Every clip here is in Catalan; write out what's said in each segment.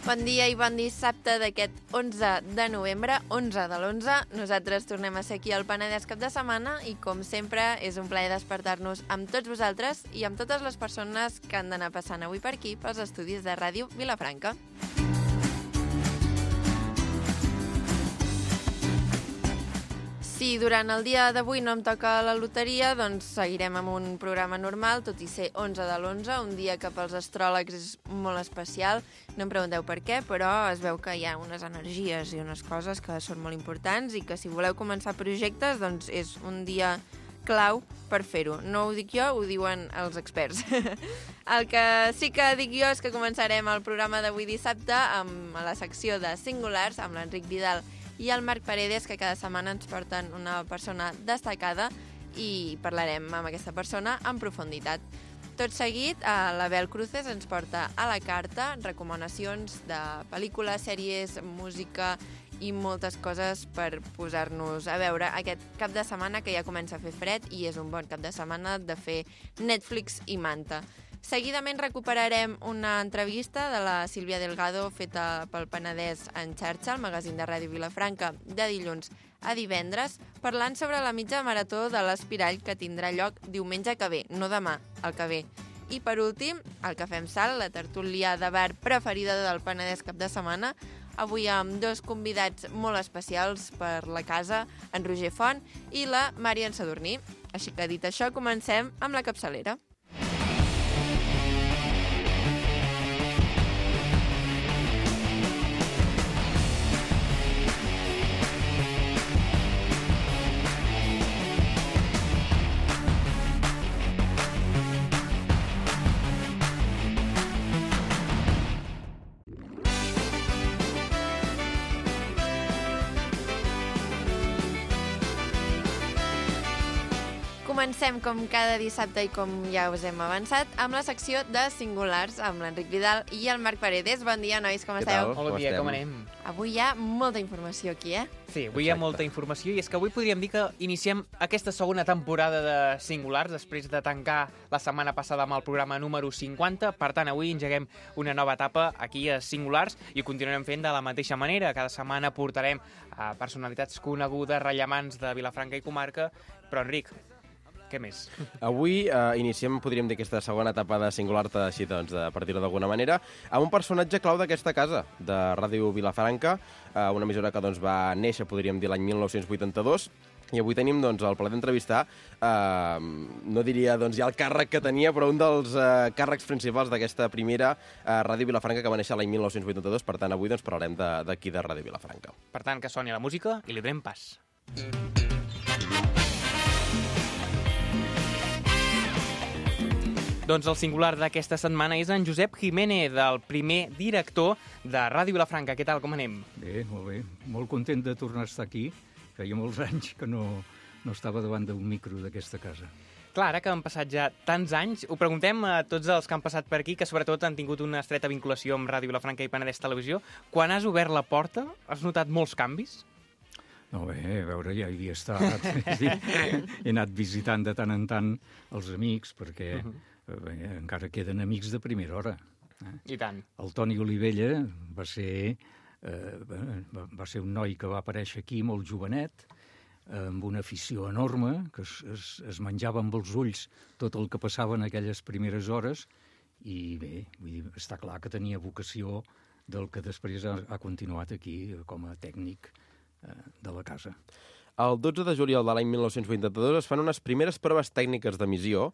Bon dia i bon dissabte d'aquest 11 de novembre, 11 de l'11. Nosaltres tornem a ser aquí al Penedès cap de setmana i, com sempre, és un plaer despertar-nos amb tots vosaltres i amb totes les persones que han d'anar passant avui per aquí pels estudis de Ràdio Vilafranca. Si durant el dia d'avui no em toca la loteria, doncs seguirem amb un programa normal, tot i ser 11 de l'11, un dia que pels astròlegs és molt especial. No em pregunteu per què, però es veu que hi ha unes energies i unes coses que són molt importants i que si voleu començar projectes, doncs és un dia clau per fer-ho. No ho dic jo, ho diuen els experts. El que sí que dic jo és que començarem el programa d'avui dissabte amb la secció de Singulars, amb l'Enric Vidal i el Marc Paredes, que cada setmana ens porten una persona destacada i parlarem amb aquesta persona en profunditat. Tot seguit, l'Abel Cruces ens porta a la carta recomanacions de pel·lícules, sèries, música i moltes coses per posar-nos a veure aquest cap de setmana que ja comença a fer fred i és un bon cap de setmana de fer Netflix i manta. Seguidament recuperarem una entrevista de la Sílvia Delgado feta pel Penedès en xarxa, el magazín de Ràdio Vilafranca, de dilluns a divendres, parlant sobre la mitja marató de l'Espirall que tindrà lloc diumenge que ve, no demà, el que ve. I per últim, el Cafè amb Sal, la tertúlia de bar preferida del Penedès cap de setmana, avui amb dos convidats molt especials per la casa, en Roger Font i la Marian Sadurní. Així que dit això, comencem amb la capçalera. Comencem, com cada dissabte i com ja us hem avançat, amb la secció de Singulars, amb l'Enric Vidal i el Marc Paredes. Bon dia, nois, com esteu? Bon dia, com anem? Avui hi ha molta informació aquí, Sí, avui hi ha molta informació i és que avui podríem dir que iniciem aquesta segona temporada de Singulars després de tancar la setmana passada amb el programa número 50. Per tant, avui engeguem una nova etapa aquí a Singulars i ho continuarem fent de la mateixa manera. Cada setmana portarem a personalitats conegudes, rellevants de Vilafranca i comarca. Però, Enric, què més? Avui iniciem, podríem dir, aquesta segona etapa de Singulars, així doncs, per dir-ho d'alguna manera, amb un personatge clau d'aquesta casa, de Ràdio Vilafranca, una emissora que doncs, va néixer, podríem dir, l'any 1982, i avui tenim doncs, el plaer d'entrevistar, no diria doncs, ja el càrrec que tenia, però un dels càrrecs principals d'aquesta primera Ràdio Vilafranca que va néixer l'any 1982. Per tant, avui doncs, parlarem d'aquí de Ràdio Vilafranca. Per tant, que soni la música i li donem pas. Doncs el singular d'aquesta setmana és en Josep Jiménez, el primer director de Ràdio Vilafranca. Què tal, com anem? Bé, molt bé. Molt content de tornar a estar aquí. Feia molts anys que no estava davant d'un micro d'aquesta casa. Clar, ara que han passat ja tants anys, ho preguntem a tots els que han passat per aquí, que sobretot han tingut una estreta vinculació amb Ràdio Vilafranca i Penedès Televisió. Quan has obert la porta, has notat molts canvis? No, bé, a veure, ja hi havia estat. He anat visitant de tant en tant els amics, perquè bé, encara queden amics de primera hora. I tant. El Toni Olivella va ser un noi que va aparèixer aquí molt jovenet, amb una afició enorme, que es menjava amb els ulls tot el que passava en aquelles primeres hores, i bé, vull dir, està clar que tenia vocació del que després ha continuat aquí com a tècnic de la casa. El 12 de juliol de l'any 1982 es fan unes primeres proves tècniques d'emissió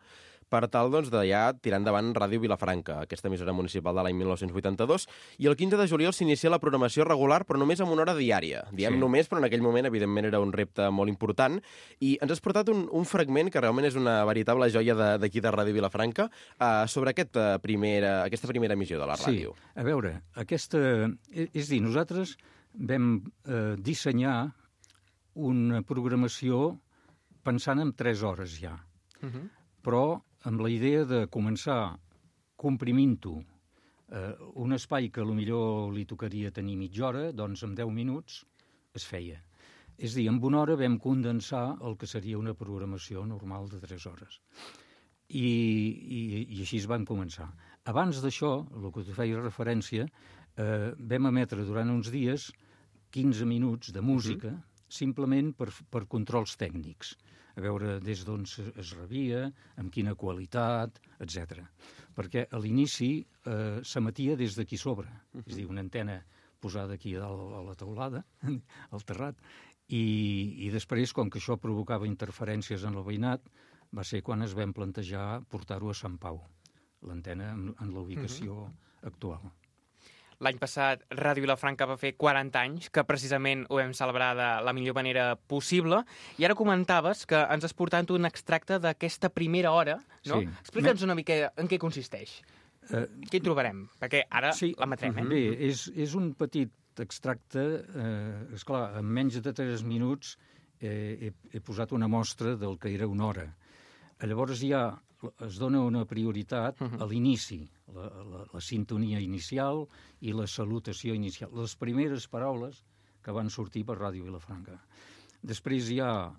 per tal doncs, de ja tirar endavant Ràdio Vilafranca, aquesta emissora municipal de l'any 1982, i el 15 de juliol s'inicia la programació regular, però només amb una hora diària. Diem només, però en aquell moment, evidentment, era un repte molt important, i ens has portat un fragment que realment és una veritable joia d'aquí de Ràdio Vilafranca, sobre aquesta primera emissió de la ràdio. Sí, a veure, és dir, nosaltres vam dissenyar una programació pensant en 3 hores ja, però amb la idea de començar comprimint-ho un espai que potser li tocaria tenir mitja hora, doncs en 10 minuts es feia. És a dir, en una hora vam condensar el que seria una programació normal de 3 hores. I així es van començar. Abans d'això, el que tu feies referència, vam emetre durant uns dies 15 minuts de música, simplement per controls tècnics, a veure des d'on es rebia, amb quina qualitat, etc. Perquè a l'inici s'emetia des d'aquí sobre, és a dir, una antena posada aquí a dalt a la teulada, al terrat, i després, com que això provocava interferències en el veïnat, va ser quan es vam plantejar portar-ho a Sant Pau, l'antena en la ubicació actual. L'any passat Ràdio Vilafranca va fer 40 anys, que precisament ho vam celebrar de la millor manera possible, i ara comentaves que ens has portat un extracte d'aquesta primera hora, no? Sí. Explica'ns una mica en què consisteix. Què hi trobarem? Perquè ara l'emetrem, Bé, és un petit extracte, esclar, en menys de 3 minuts he posat una mostra del que era una hora. Llavors ja es dona una prioritat a l'inici, la sintonia inicial i la salutació inicial, les primeres paraules que van sortir per Ràdio Vilafranca. Després hi ha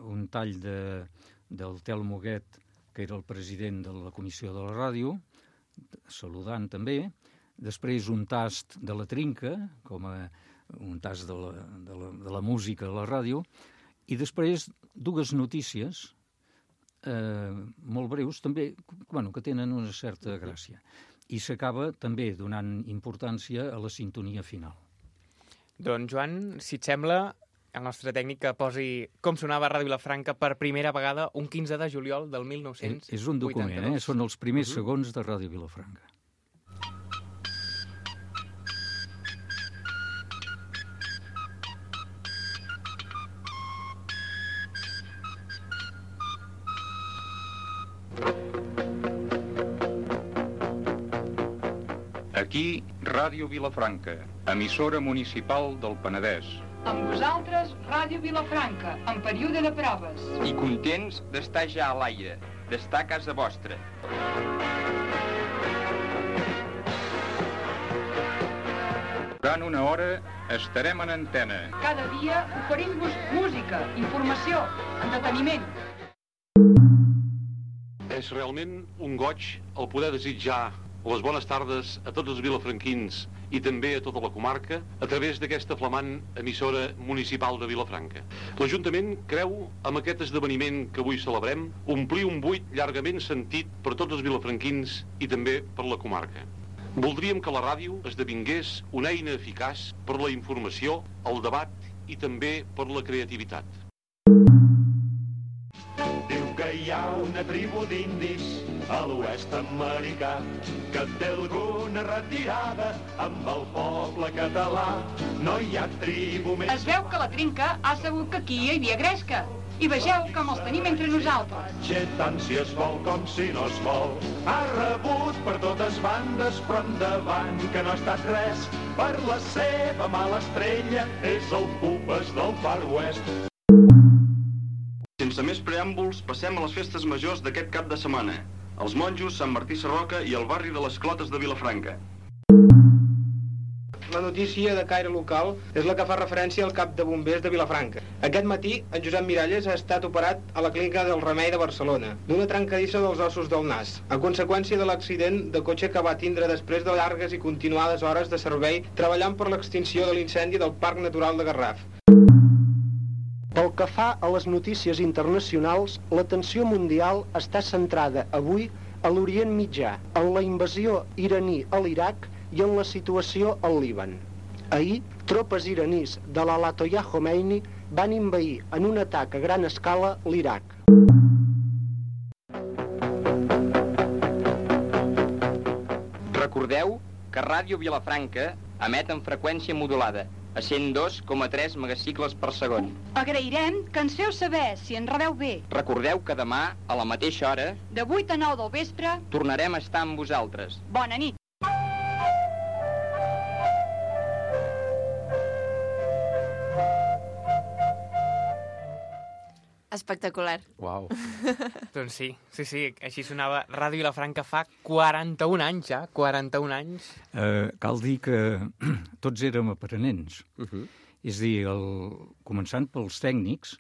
un tall del Telmo Huguet, que era el president de la comissió de la ràdio, saludant també. Després un tast de la trinca, com un tast de la música a la ràdio. I després dues notícies molt breus, també, que tenen una certa gràcia. I s'acaba també donant importància a la sintonia final. Doncs, Joan, si et sembla, el nostre tècnic que posi com sonava Ràdio Vilafranca per primera vegada un 15 de juliol del 1982. És un document, són els primers segons de Ràdio Vilafranca. Aquí, Ràdio Vilafranca, emissora municipal del Penedès. Amb vosaltres, Ràdio Vilafranca, en període de proves. I contents d'estar ja a l'aire, d'estar a casa vostra. Durant una hora estarem en antena. Cada dia oferim-vos música, informació, entreteniment. És realment un goig el poder desitjar les bones tardes a tots els vilafranquins i també a tota la comarca a través d'aquesta flamant emissora municipal de Vilafranca. L'Ajuntament creu amb aquest esdeveniment que avui celebrem omplir un buit llargament sentit per tots els vilafranquins i també per la comarca. Voldríem que la ràdio esdevingués una eina eficaç per la informació, el debat i també per la creativitat. Diu que hi ha una tribu d'indis a l'oest americà que té alguna retirada amb el poble català. No hi ha tribu més... Es veu que la trinca ha sabut que aquí hi havia gresca. I vegeu com els tenim entre nosaltres. Tant si es vol com si no es vol. Ha rebut per totes bandes, però endavant que no ha estat res. Per la seva mala estrella és el Pupes del Far West. Sense més preàmbuls, passem a les festes majors d'aquest cap de setmana. Els monjos, Sant Martí Sarroca i el barri de les Clotes de Vilafranca. La notícia de caire local és la que fa referència al cap de bombers de Vilafranca. Aquest matí, en Josep Miralles ha estat operat a la clínica del Remei de Barcelona, d'una trencadissa dels ossos del nas, a conseqüència de l'accident de cotxe que va tindre després de llargues i continuades hores de servei treballant per l'extinció de l'incendi del Parc Natural de Garraf. Pel que fa a les notícies internacionals, l'atenció mundial està centrada avui a l'Orient Mitjà, en la invasió iraní a l'Iraq i en la situació al Líban. Ahir, tropes iranís de l'Ayatollah Khomeini van invair en un atac a gran escala l'Iraq. Recordeu que Ràdio Vilafranca emet en freqüència modulada, a 102,3 megacicles per segon. Agrairem que ens feu saber si ens rebeu bé. Recordeu que demà, a la mateixa hora, de 8 a 9 del vespre, tornarem a estar amb vosaltres. Bona nit. Espectacular. Uau. Doncs sí, així sonava Ràdio Vilafranca fa 41 anys, ja, 41 anys. Cal dir que tots érem aprenents. És a dir, començant pels tècnics,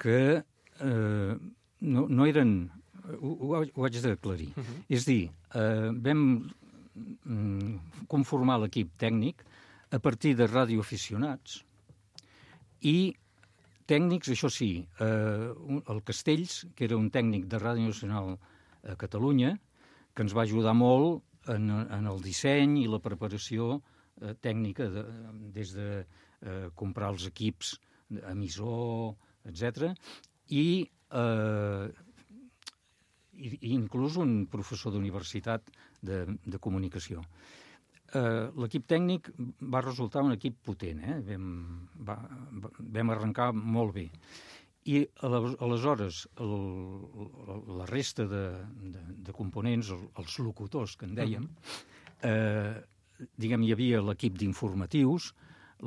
que no eren... Ho haig d'aclarir. És a dir, vam conformar l'equip tècnic a partir de radioaficionats i tècnics, això sí, el Castells, que era un tècnic de Ràdio Nacional a Catalunya, que ens va ajudar molt en el disseny i la preparació tècnica, des de comprar els equips, emissor, etc. I inclús un professor d'universitat de comunicació. L'equip tècnic va resultar un equip potent, vam arrencar molt bé. I aleshores la resta de components, els locutors que en dèiem, diguem, hi havia l'equip d'informatius,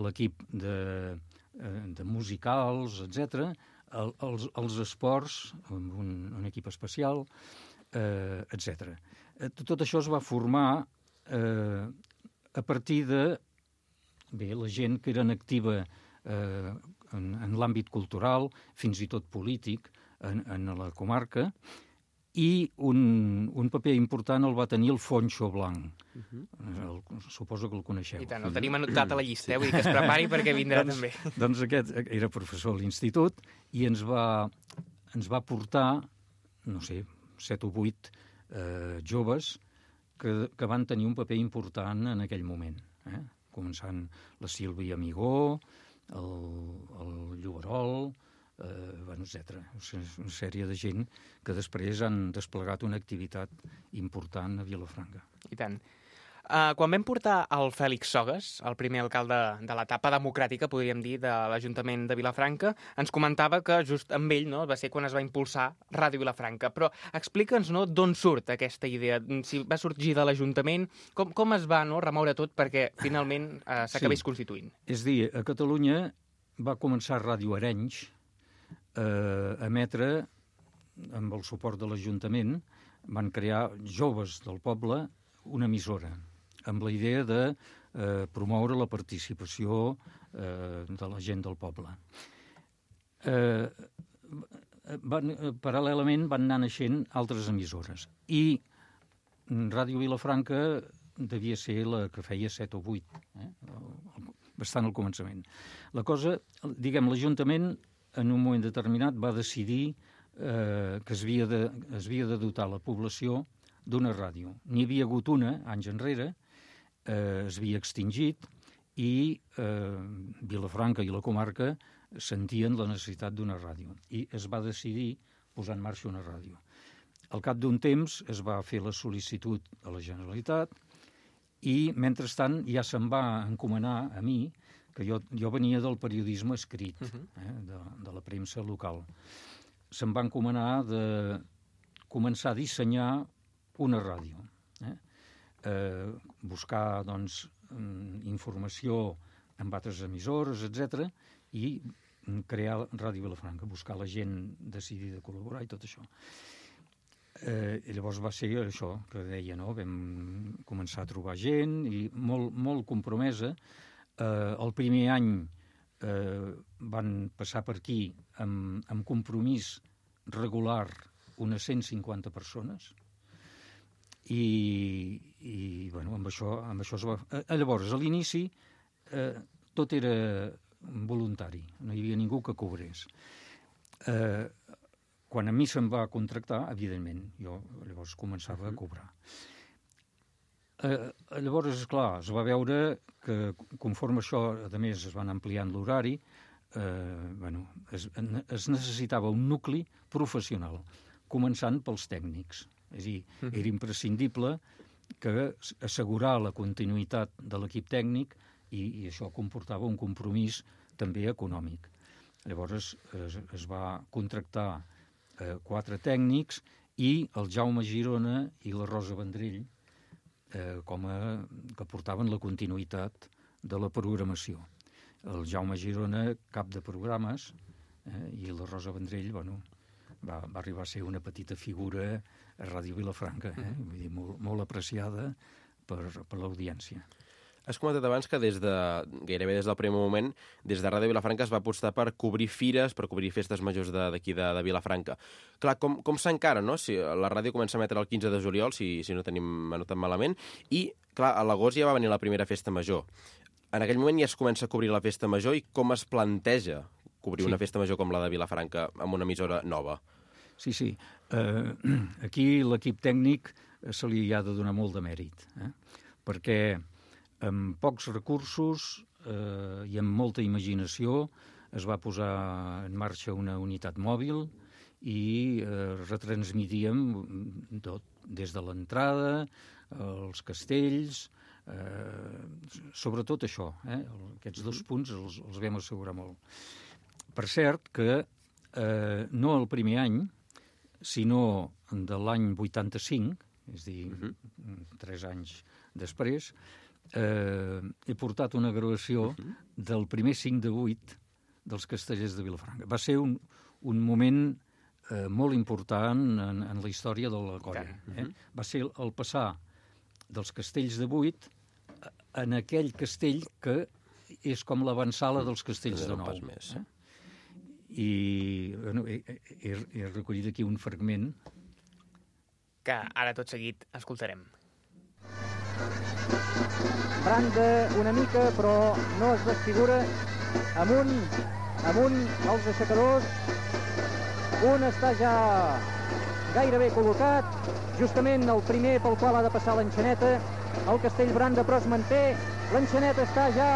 l'equip de musicals, etc., els esports, amb un equip especial, etc. Tot això es va formar a partir de la gent que era activa en l'àmbit cultural, fins i tot polític, en la comarca, i un paper important el va tenir el Foncho Blanc. Suposo que el coneixeu. I tant, el tenim anotat a la llista, vull dir que es prepari perquè vindrà també. Doncs aquest era professor a l'institut i ens va portar, no sé, 7 o 8 joves que van tenir un paper important en aquell moment, començant la Sílvia Amigó, el Lloberol, etc. Una sèrie de gent que després han desplegat una activitat important a Vilafranca. I tant. Quan vam portar el Fèlix Sogues, el primer alcalde de l'etapa democràtica, podríem dir, de l'Ajuntament de Vilafranca, ens comentava que just amb ell va ser quan es va impulsar Ràdio Vilafranca. Però explica'ns d'on surt aquesta idea, si va sorgir de l'Ajuntament, com es va remoure tot perquè finalment s'acabés constituint. És a dir, a Catalunya va començar Ràdio Arenys a emetre, amb el suport de l'Ajuntament, van crear joves del poble una emissora, amb la idea de promoure la participació de la gent del poble. Paral·lelament van anar naixent altres emissores i Ràdio Vilafranca devia ser la que feia 7 o 8, bastant al començament. La cosa, diguem, l'Ajuntament en un moment determinat va decidir que es havia de dotar la població d'una ràdio. N'hi havia hagut una, anys enrere, es havia extingit i Vilafranca i la comarca sentien la necessitat d'una ràdio. I es va decidir posar en marxa una ràdio. Al cap d'un temps es va fer la sol·licitud a la Generalitat i, mentrestant, ja se'm va encomanar a mi, que jo venia del periodisme escrit, de la premsa local. Se'm va encomanar de començar a dissenyar una ràdio, buscar, doncs, informació amb altres emissores, etc., i crear Ràdio Vilafranca, buscar la gent decidida a col·laborar i tot això. Llavors va ser això que deia, no? Vam començar a trobar gent i molt compromesa. El primer any van passar per aquí amb compromís regular unes 150 persones i bueno, amb això es va... Llavors, a l'inici tot era voluntari, no hi havia ningú que cobrés. Quan a mi se'm va contractar, evidentment, jo llavors començava a cobrar. Llavors, esclar, es va veure que conforme això, a més, es van ampliant l'horari, es necessitava un nucli professional, començant pels tècnics. És a dir, era imprescindible que assegurar la continuïtat de l'equip tècnic i això comportava un compromís també econòmic. Llavors es va contractar 4 tècnics i el Jaume Girona i la Rosa Vendrell que portaven la continuïtat de la programació. El Jaume Girona, cap de programes, i la Rosa Vendrell, bueno, va arribar a ser una petita figura a Ràdio Vilafranca, vull dir, molt apreciada per l'audiència. Has comentat abans que gairebé des del primer moment, des de Ràdio Vilafranca es va apostar per cobrir fires, per cobrir festes majors d'aquí de Vilafranca. Clar, com s'encara, no? Si la ràdio comença a emetre el 15 de juliol, si no tenim anotat malament, i, clar, a l'agost ja va venir la primera festa major. En aquell moment ja es comença a cobrir la festa major, i com es planteja cobrir una festa major com la de Vilafranca amb una emissora nova? Sí. Aquí l'equip tècnic se li ha de donar molt de mèrit, perquè amb pocs recursos i amb molta imaginació es va posar en marxa una unitat mòbil i retransmitíem tot, des de l'entrada, els castells, sobretot això, aquests 2 punts els vam assegurar molt. Per cert que no el primer any, sinó de l'any 85, és a dir, 3 anys després, he portat una gravació del primer 5 de 8 dels Castellers de Vilafranca. Va ser un moment molt important en la història de la colla. Va ser el passar dels Castells de 8 en aquell castell que és com l'avançala dels Castells de 9. I he recollit aquí un fragment que ara tot seguit escoltarem. Branda una mica, però no es desfigura. Amunt els aixecadors. Un està ja gairebé col·locat, justament el primer pel qual ha de passar l'enxaneta. El castell Branda, però es manté. L'enxaneta està ja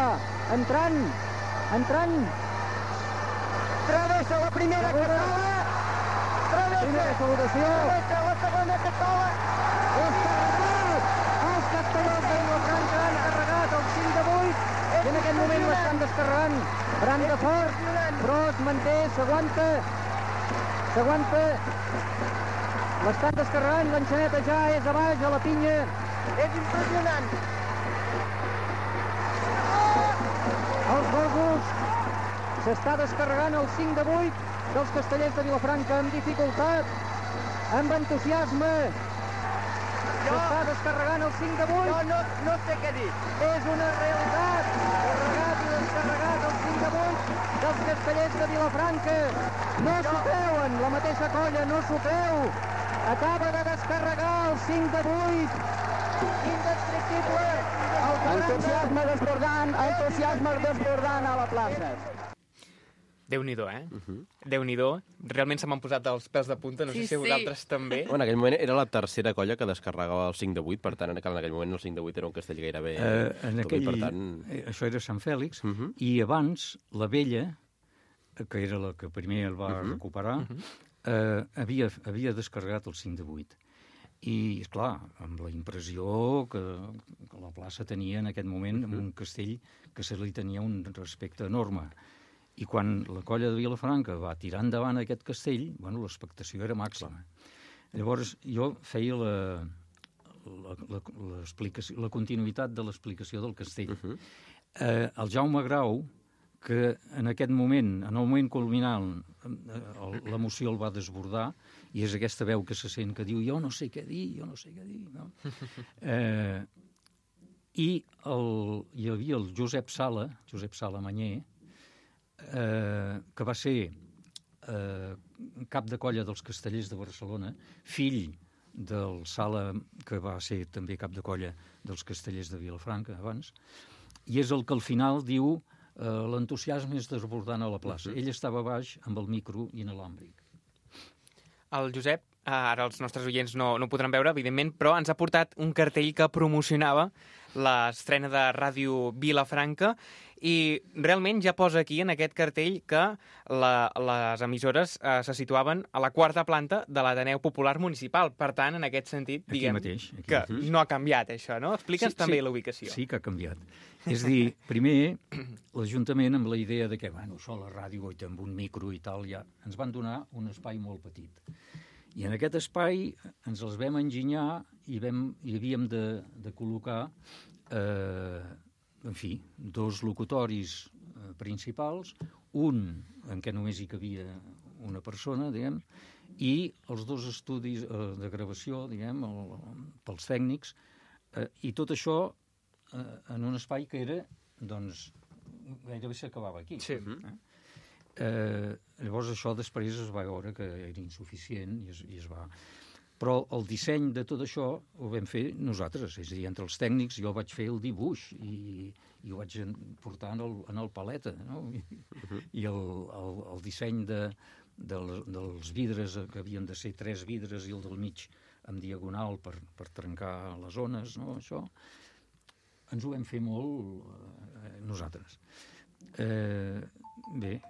entrant. Travessa la primera cassola. Primera salutació. Travessa la segona cassola. Els castellers de Vilafranca han carregat el 5 de 8 i en aquest moment l'estan descarregant. Branda fort, però es manté, s'aguanta. L'estan descarregant, l'enxaneta ja és a baix, a la pinya. És impressionant. Els gossos s'està descarregant el 5 de 8 dels Castellers de Vilafranca amb dificultat, amb entusiasme. S'està descarregant el 5 de 8. Jo no sé què dir. És una realitat. Carregat i descarregat el 5 de 8 dels Castellers de Vilafranca. No s'ho creuen, la mateixa colla no s'ho creu. Acaba de descarregar el 5 de 8. Indescriptible. Entusiasme desbordant a la plaça. Déu-n'hi-do, Déu-n'hi-do. Realment se m'han posat els pèls de punta, no sé si vosaltres també. En aquell moment era la tercera colla que descarregava el 5 de 8, per tant, en aquell moment el 5 de 8 era un castell gairebé... Això era Sant Fèlix, i abans la Vella, que era la que primer el va recuperar, havia descarregat el 5 de 8. I, esclar, amb la impressió que la plaça tenia en aquest moment un castell que se li tenia un respecte enorme. I quan la colla de Vilafranca va tirar endavant aquest castell, l'expectació era màxima. Llavors, jo feia la continuïtat de l'explicació del castell. El Jaume Grau, que en aquest moment, en el moment culminant, l'emoció el va desbordar, i és aquesta veu que se sent que diu jo no sé què dir. No? I hi havia el Josep Sala Manyer, que va ser cap de colla dels Castellers de Barcelona, fill del Sala, que va ser també cap de colla dels Castellers de Vilafranca abans, i és el que al final diu l'entusiasme és desbordant a la plaça. Ell estava baix amb el micro inalàmbric. El Josep, ara els nostres oients no podran veure, evidentment, però ens ha portat un cartell que promocionava l'estrena de Ràdio Vilafranca i realment ja posa aquí en aquest cartell que les emissores se situaven a la 4ª planta de l'Ateneu Popular Municipal. Per tant, en aquest sentit, diguem que no ha canviat això, no? Explica'ns també la ubicació. Sí que ha canviat. És a dir, primer, l'Ajuntament amb la idea de que, això la ràdio i amb un micro i tal, ja ens van donar un espai molt petit. I en aquest espai ens els vam enginyar i havíem de col·locar, en fi, 2 locutoris principals, un en què només hi cabia una persona, diguem, i els 2 estudis de gravació, diguem, pels tècnics, i tot això en un espai que era, doncs, gairebé s'acabava aquí. Sí. Llavors això després es va veure que era insuficient i es va... Però el disseny de tot això ho vam fer nosaltres, és a dir, entre els tècnics jo vaig fer el dibuix i ho vaig portar en el paleta, no? I el disseny dels vidres, que havien de ser 3 vidres i el del mig en diagonal per trencar les ones, no? Això ens ho vam fer molt nosaltres. Bé,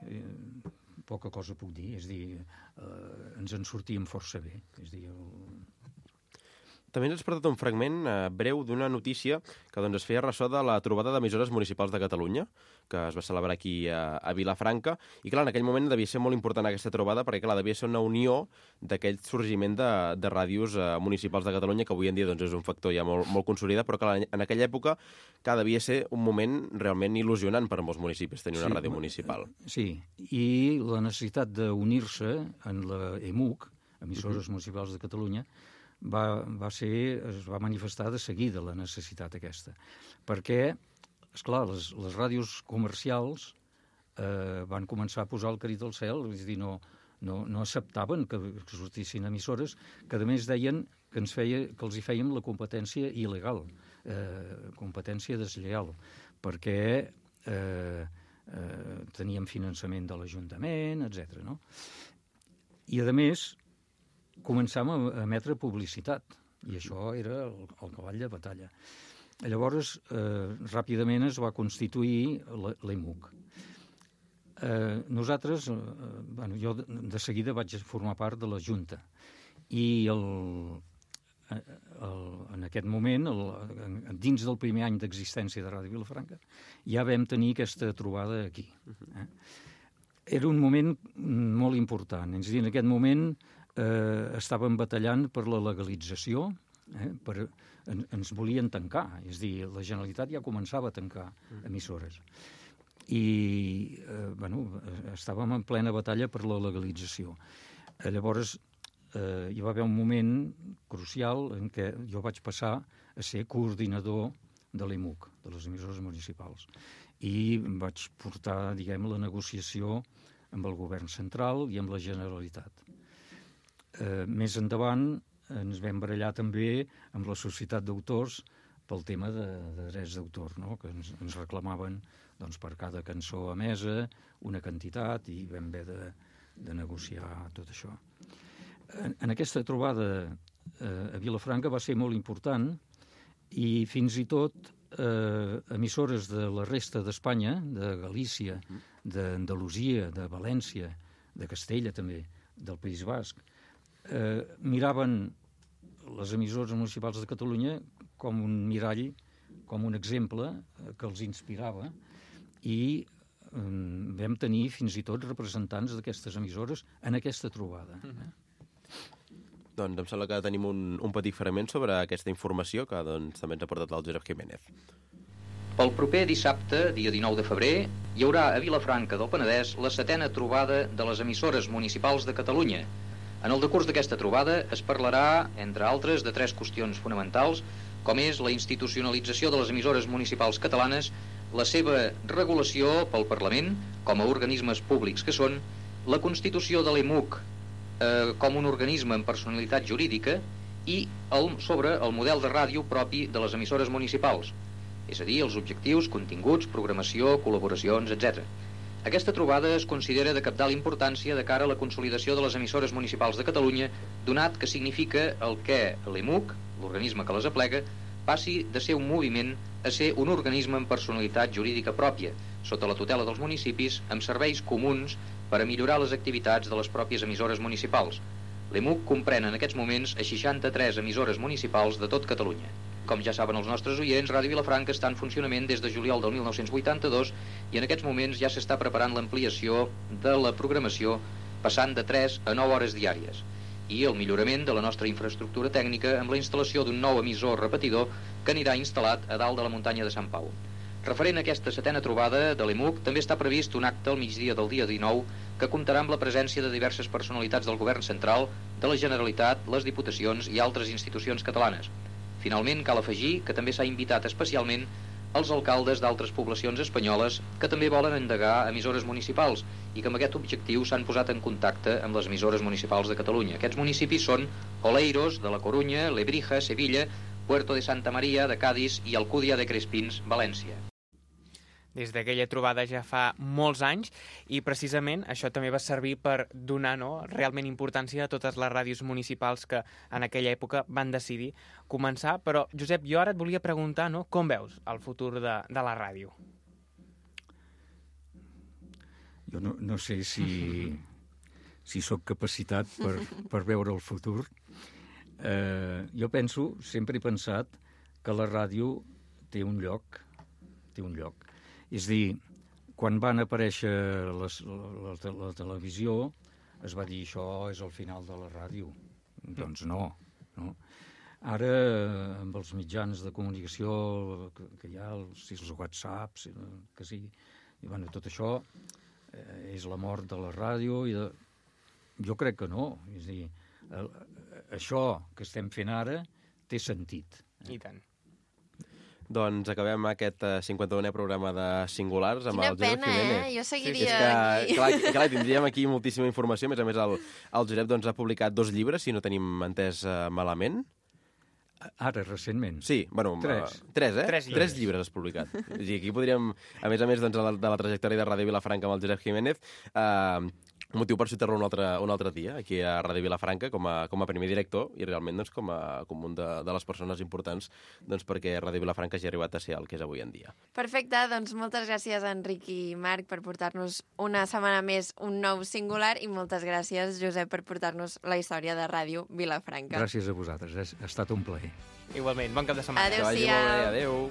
poca cosa puc dir, és a dir, ens en sortíem força bé, és a dir... També ens has portat un fragment breu d'una notícia que es feia ressò de la trobada d'emissores municipals de Catalunya, que es va celebrar aquí a Vilafranca, i clar, en aquell moment devia ser molt important aquesta trobada, perquè clar, devia ser una unió d'aquell sorgiment de ràdios municipals de Catalunya, que avui en dia és un factor ja molt consolidat, però clar, en aquella època devia ser un moment realment il·lusionant per a molts municipis tenir una ràdio municipal. Sí, i la necessitat d'unir-se en la EMUC, Emissores Municipals de Catalunya, es va manifestar de seguida la necessitat aquesta, perquè, esclar, les ràdios comercials van començar a posar el crit al cel, és a dir, no acceptaven que sortissin emissores que a més deien que els hi fèiem la competència il·legal, competència deslleial, perquè teníem finançament de l'Ajuntament, etc. No? I a més començàvem a emetre publicitat, i això era el cavall de batalla. Llavors, ràpidament es va constituir l'EMUC. Nosaltres, jo de seguida vaig formar part de la Junta, i en aquest moment, dins del primer any d'existència de Ràdio Vilafranca, ja vam tenir aquesta trobada aquí. Era un moment molt important, és a dir, en aquest moment estàvem batallant per la legalització, ens volien tancar, és a dir, la Generalitat ja començava a tancar emissores. I estàvem en plena batalla per la legalització. Llavors, hi va haver un moment crucial en què jo vaig passar a ser coordinador de l'EMUC, de les emissores municipals, i vaig portar, diguem, la negociació amb el govern central i amb la Generalitat. Més endavant ens vam barallar també amb la societat d'autors pel tema de drets d'autor, no? Que ens reclamaven per cada cançó emesa una quantitat i vam haver de negociar tot això. En aquesta trobada a Vilafranca va ser molt important i fins i tot emissores de la resta d'Espanya, de Galícia, d'Andalusia, de València, de Castella també, del País Basc, miraven les emissores municipals de Catalunya com un mirall, com un exemple que els inspirava, i vam tenir fins i tot representants d'aquestes emissores en aquesta trobada. Doncs em sembla que tenim un petit fragment sobre aquesta informació que també ens ha portat el Josep Jiménez. Pel proper dissabte, dia 19 de febrer, hi haurà a Vilafranca del Penedès la 7a trobada de les emissores municipals de Catalunya. En el decurs d'aquesta trobada es parlarà, entre altres, de 3 qüestions fonamentals, com és la institucionalització de les emissores municipals catalanes, la seva regulació pel Parlament, com a organismes públics que són, la constitució de l'EMUC com un organisme amb personalitat jurídica i sobre el model de ràdio propi de les emissores municipals, és a dir, els objectius, continguts, programació, col·laboracions, etc. Aquesta trobada es considera de cabdal importància de cara a la consolidació de les emissores municipals de Catalunya, donat que significa el que l'EMUC, l'organisme que les aplega, passi de ser un moviment a ser un organisme amb personalitat jurídica pròpia, sota la tutela dels municipis, amb serveis comuns per a millorar les activitats de les pròpies emissores municipals. L'EMUC comprèn en aquests moments a 63 emissores municipals de tot Catalunya. Com ja saben els nostres oients, Ràdio Vilafranca està en funcionament des de juliol del 1982 i en aquests moments ja s'està preparant l'ampliació de la programació passant de 3 a 9 hores diàries i el millorament de la nostra infraestructura tècnica amb la instal·lació d'un nou emissor repetidor que anirà instal·lat a dalt de la muntanya de Sant Pau. Referent a aquesta 7a trobada de l'EMUC, també està previst un acte al migdia del dia 19 que comptarà amb la presència de diverses personalitats del govern central, de la Generalitat, les Diputacions i altres institucions catalanes. Finalment, cal afegir que també s'ha invitat especialment als alcaldes d'altres poblacions espanyoles que també volen endegar emissores municipals i que amb aquest objectiu s'han posat en contacte amb les emissores municipals de Catalunya. Aquests municipis són Oleiros, de la Corunya, Lebrija, Sevilla, Puerto de Santa Maria, de Cádiz i Alcúdia de Crespins, València. Des d'aquella trobada ja fa molts anys i precisament això també va servir per donar realment importància a totes les ràdios municipals que en aquella època van decidir començar. Però, Josep, jo ara et volia preguntar com veus el futur de la ràdio? Jo no sé si sóc capacitat per veure el futur. Jo penso, sempre he pensat, que la ràdio té un lloc. És a dir, quan van aparèixer la televisió, es va dir això és el final de la ràdio. Doncs no. Ara, amb els mitjans de comunicació que hi ha, els whatsapps, que sí, i bueno, tot això és la mort de la ràdio. Jo crec que no. És a dir, això que estem fent ara té sentit. I tant. Doncs acabem aquest 51è programa de Singulars amb el Josep Jiménez. Quina pena, Jo seguiria aquí. Clar, tindríem aquí moltíssima informació. A més, el Josep ha publicat 2 llibres, si no tenim entès malament. Ara, recentment? Sí, bueno... 3, eh? 3 llibres has publicat. Aquí podríem, a més de la trajectòria de Ràdio Vilafranca amb el Josep Jiménez, motiu per citar-lo un altre dia, aquí a Ràdio Vilafranca, com a primer director, i realment com un de les persones importants perquè Ràdio Vilafranca hagi arribat a ser el que és avui en dia. Perfecte, doncs moltes gràcies a Enric i Marc per portar-nos una setmana més un nou Singular i moltes gràcies, Josep, per portar-nos la història de Ràdio Vilafranca. Gràcies a vosaltres, ha estat un plaer. Igualment, bon cap de setmana. Adéu-siau. Que vagi molt bé, adéu.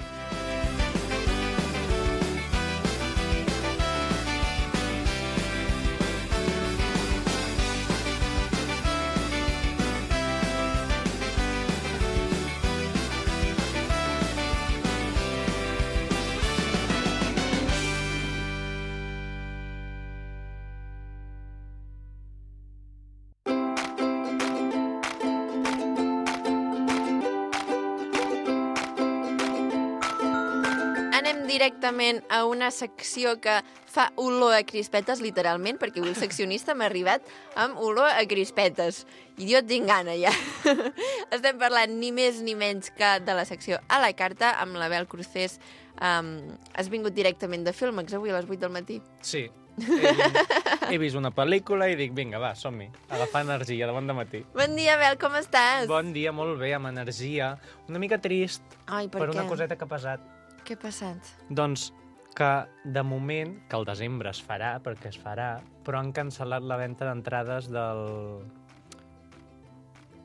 Directament a una secció que fa olor a crispetes, literalment, perquè avui el seccionista m'ha arribat amb olor a crispetes. I jo tinc gana, ja. Estem parlant ni més ni menys que de la secció a la carta amb l'Abel Crucés. Has vingut directament de Filmex avui a les 8 del matí? Sí. He vist una pel·lícula i dic, vinga, va, som-hi. Agafar energia de bon dematí. Bon dia, Abel, com estàs? Bon dia, molt bé, amb energia. Una mica trist. Ai, per què? Una coseta que ha passat. Què ha passat? Doncs que, de moment, que el desembre es farà, perquè es farà, però han cancel·lat la venda d'entrades del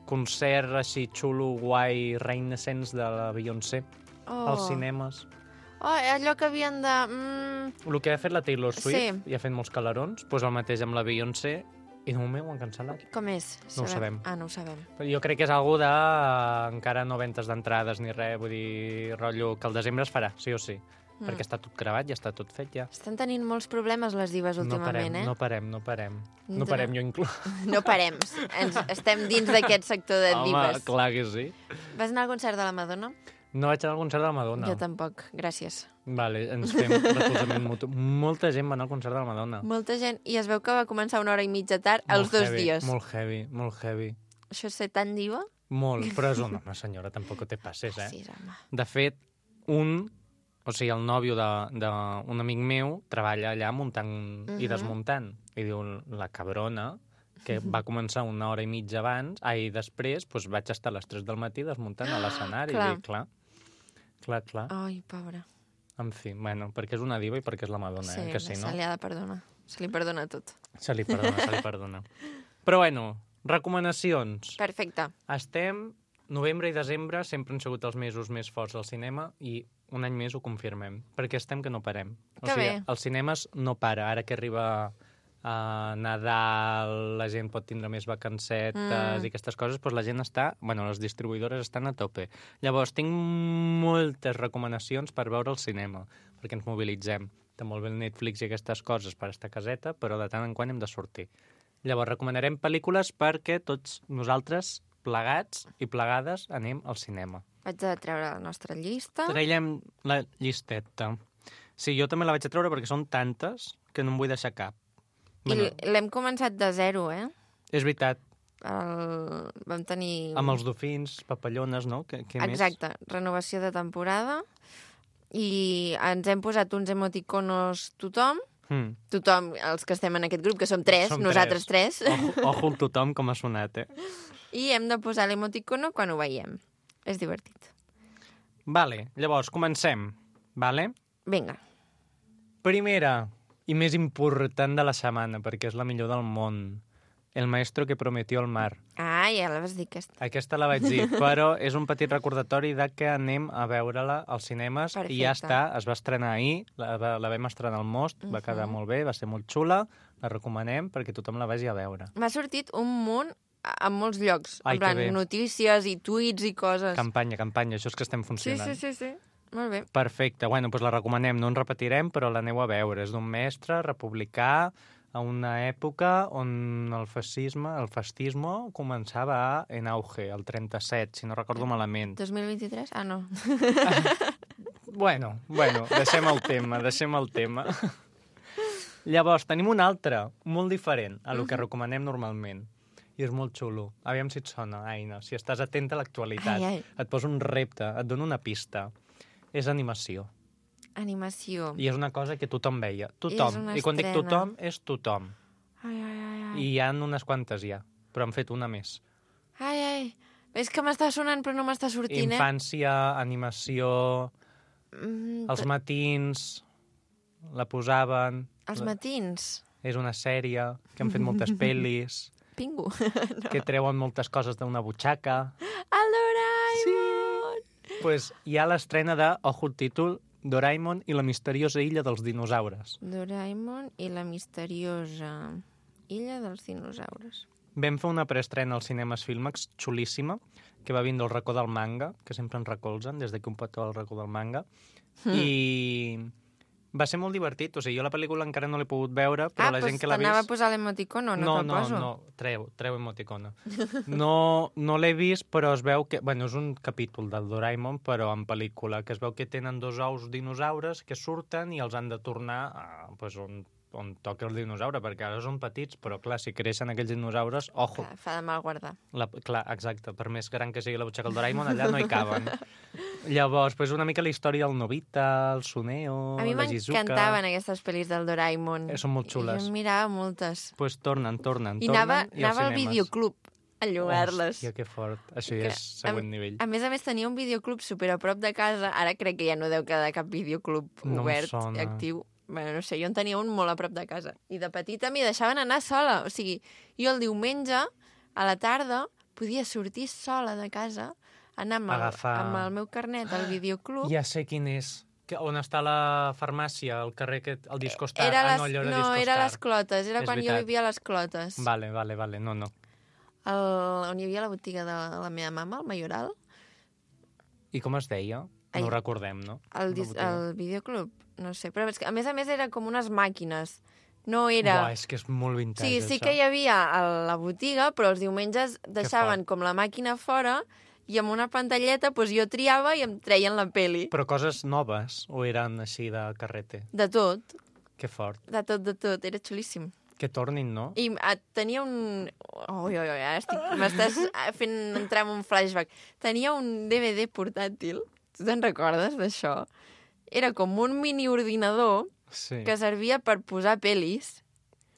concert així xulo, guai, Renaissance de la Beyoncé als cinemes. Allò que havien de... El que ha fet la Taylor Swift, sí. I ha fet molts calarons, doncs el mateix amb la Beyoncé, i de moment ho han cancel·lat. Com és? No ho sabem. No ho sabem. Però jo crec que és algú de... encara no ventes d'entrades ni res, vull dir, rotllo, que el desembre es farà, sí o sí. Perquè està tot gravat, ja està tot fet, ja. Estan tenint molts problemes les divas últimament, No parem. No parem, jo inclús. No parem. Estem dins d'aquest sector de divas. Home, clar que sí. Vas anar al concert de la Madonna? No vaig anar al concert de la Madonna. Jo tampoc, gràcies. Vale, ens fem recolzament mutu. Molta gent va anar al concert de la Madonna. Molta gent, i es veu que va començar 1 hora i mitja tard els 2 dies. Molt heavy. Això és ser tan diva? Molt, però és una senyora, tampoc te passes, eh? Sí, home. De fet, el nòvio d'un amic meu treballa allà muntant i desmuntant. I diu, la cabrona, que va començar 1 hora i mitja abans, després vaig estar a les 3 del matí desmuntant a l'escenari. I dic, clar. Ai, pobra. En fi, bueno, perquè és una diva i perquè és la Madonna, sí, que sí, no? Se li ha de perdonar. Se li perdona tot. Se li perdona. Però bueno, recomanacions. Perfecte. Novembre i desembre sempre han sigut els mesos més forts del cinema i un any més ho confirmem, perquè que no parem. Bé. Els cinemes no para. Ara que arriba Nadal, la gent pot tindre més vacancetes i aquestes coses, doncs la gent les distribuïdores estan a tope. Llavors, tinc moltes recomanacions per veure el cinema, perquè ens mobilitzem. Té molt bé el Netflix i aquestes coses per estar a caseta, però de tant en quant hem de sortir. Llavors, recomanarem pel·lícules perquè tots nosaltres, plegats i plegades, anem al cinema. Vaig a treure la nostra llista. Traiem la llisteta. Sí, jo també la vaig a treure perquè són tantes que no em vull deixar cap. I l'hem començat de zero, eh? És veritat. Vam tenir... Amb els dofins, papallones, no? Què més? Exacte, renovació de temporada. I ens hem posat uns emoticonos tothom. Tothom, els que estem en aquest grup, que som tres, nosaltres tres. Ojo el tothom com ha sonat, I hem de posar l'emoticono quan ho veiem. És divertit. Vale, llavors, comencem. Vale? Vinga. Primera i més important de la setmana, perquè és la millor del món. El maestro que prometió el mar. Ah, ja la vas dir, aquesta. Aquesta la vaig dir, però és un petit recordatori de que anem a veure-la als cinemes. Perfecte. I ja està, es va estrenar ahir, la vam estrenar al Most, va quedar molt bé, va ser molt xula, la recomanem perquè tothom la vagi a veure. M'ha sortit un munt en molts llocs, en plan notícies i tuits i coses. Campanya, això és que estem funcionant. Sí. Molt bé. Perfecte, bueno, doncs la recomanem, no en repetirem, però l'aneu a veure. És d'un mestre republicà a una època on el fascisme començava en auge, el 37, si no recordo malament. 2023? Ah, no. Bueno, deixem el tema. Llavors, tenim un altre, molt diferent a lo que recomanem normalment. I és molt xulo. Aviam si et sona, Aina. Si estàs atenta a l'actualitat. Et poso un repte, et dono una pista. És animació. Animació. I és una cosa que tothom veia. Tothom. I quan dic tothom, és tothom. I hi ha unes quantes ja, però han fet una més. És que m'està sonant però no m'està sortint, Infància, animació, els matins, la posaven... Els matins? És una sèrie que han fet moltes pel·lis. Pingu. Que treuen moltes coses d'una butxaca. El Doraemon! Sí. Pues hi ha l'estrena de, ojo el títol, Doraemon i la misteriosa illa dels dinosaures. Doraemon i la misteriosa illa dels dinosaures. Vam fer una preestrena als cinemes Filmax xulíssima, que va vindre al racó del manga, que sempre ens recolzen, des d'aquí un petó al racó del manga, i va ser molt divertit. O sigui, jo la pel·lícula encara no l'he pogut veure, però la gent que l'ha vist... t'anava a posar l'emoticono, no te'l poso? No, treu emoticono. No l'he vist, però es veu que... Bueno, és un capítol del Doraemon, però en pel·lícula, que es veu que tenen 2 ous dinosaures que surten i els han de tornar on toca el dinosaure, perquè ara són petits, però clar, si creixen aquells dinosaures, ojo. Clar, fa de mal guardar. Clar, exacte, per més gran que sigui la butxaca del Doraemon, allà no hi caben. Llavors, una mica la història del Nobita, el Suneo, la Shizuka... A mi m'encantaven aquestes pel·lis del Doraemon. Són molt xules. Jo en mirava moltes. Doncs tornen. I anava al videoclub a llogar-les. Hòstia, que fort. Això ja és següent nivell. A més, tenia un videoclub super a prop de casa. Ara crec que ja no deu quedar cap videoclub obert i actiu. Bueno, no sé, jo en tenia un molt a prop de casa. I de petita m'hi deixaven anar sola. O sigui, jo el diumenge, a la tarda, podia sortir sola de casa, anar amb el meu carnet al videoclub. Ja sé quin és. On està la farmàcia, el carrer, el Discostar? Era les Clotes, era quan jo vivia a les Clotes. Vale, no. On hi havia la botiga de la meva mama, el Mayoral. I com es deia? No ho recordem, no? El videoclub, no sé. Però a més era com unes màquines. No era... Buah, és que és molt vintage, això. Sí que hi havia a la botiga, però els diumenges deixaven com la màquina fora i amb una pantalleta jo triava i em treien la peli. Però coses noves o eren així de carrete? De tot. Que fort. De tot. Era xulíssim. Que tornin, no? I tenia un... m'estàs fent entrar en un flashback. Tenia un DVD portàtil. Tu te'n recordes d'això? Era com un mini-ordinador que servia per posar pel·lis.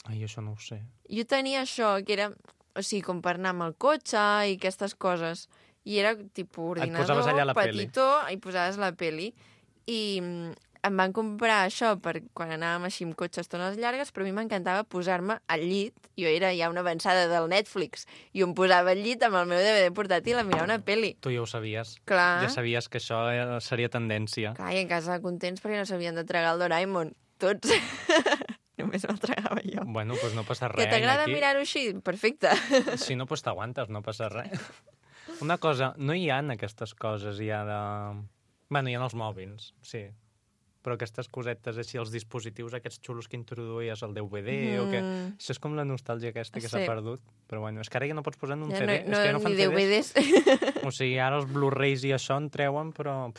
Ai, això no ho sé. Jo tenia això, que era... O sigui, com per anar amb el cotxe i aquestes coses. I era tipus ordinador, petitó, i posaves la pel·li. I em van comprar això per quan anàvem així amb cotxe estones llargues, però a mi m'encantava posar-me al llit. Jo era ja una avançada del Netflix. I em posava al llit amb el meu DVD portàtil a mirar una pel·li. Tu ja ho sabies. Clar. Ja sabies que això seria tendència. Clar, i en casa contents perquè no s'havien de tragar el Doraemon. Tots. Només me'l tragava jo. Bueno, doncs no passa res. Que t'agrada mirar-ho així? Perfecte. Si no, doncs t'aguantes, no passa res. Una cosa, no hi ha aquestes coses ja de... Bueno, hi ha els mòbils, sí. però aquestes cosetes així, els dispositius aquests xulos que introduïes al DVD o que... Això és com la nostàlgia aquesta que s'ha perdut. Però bueno, és que ara ja no pots posar en un CD. És que ja no fan DVDs. O sigui, ara els Blu-rays i això en treuen, però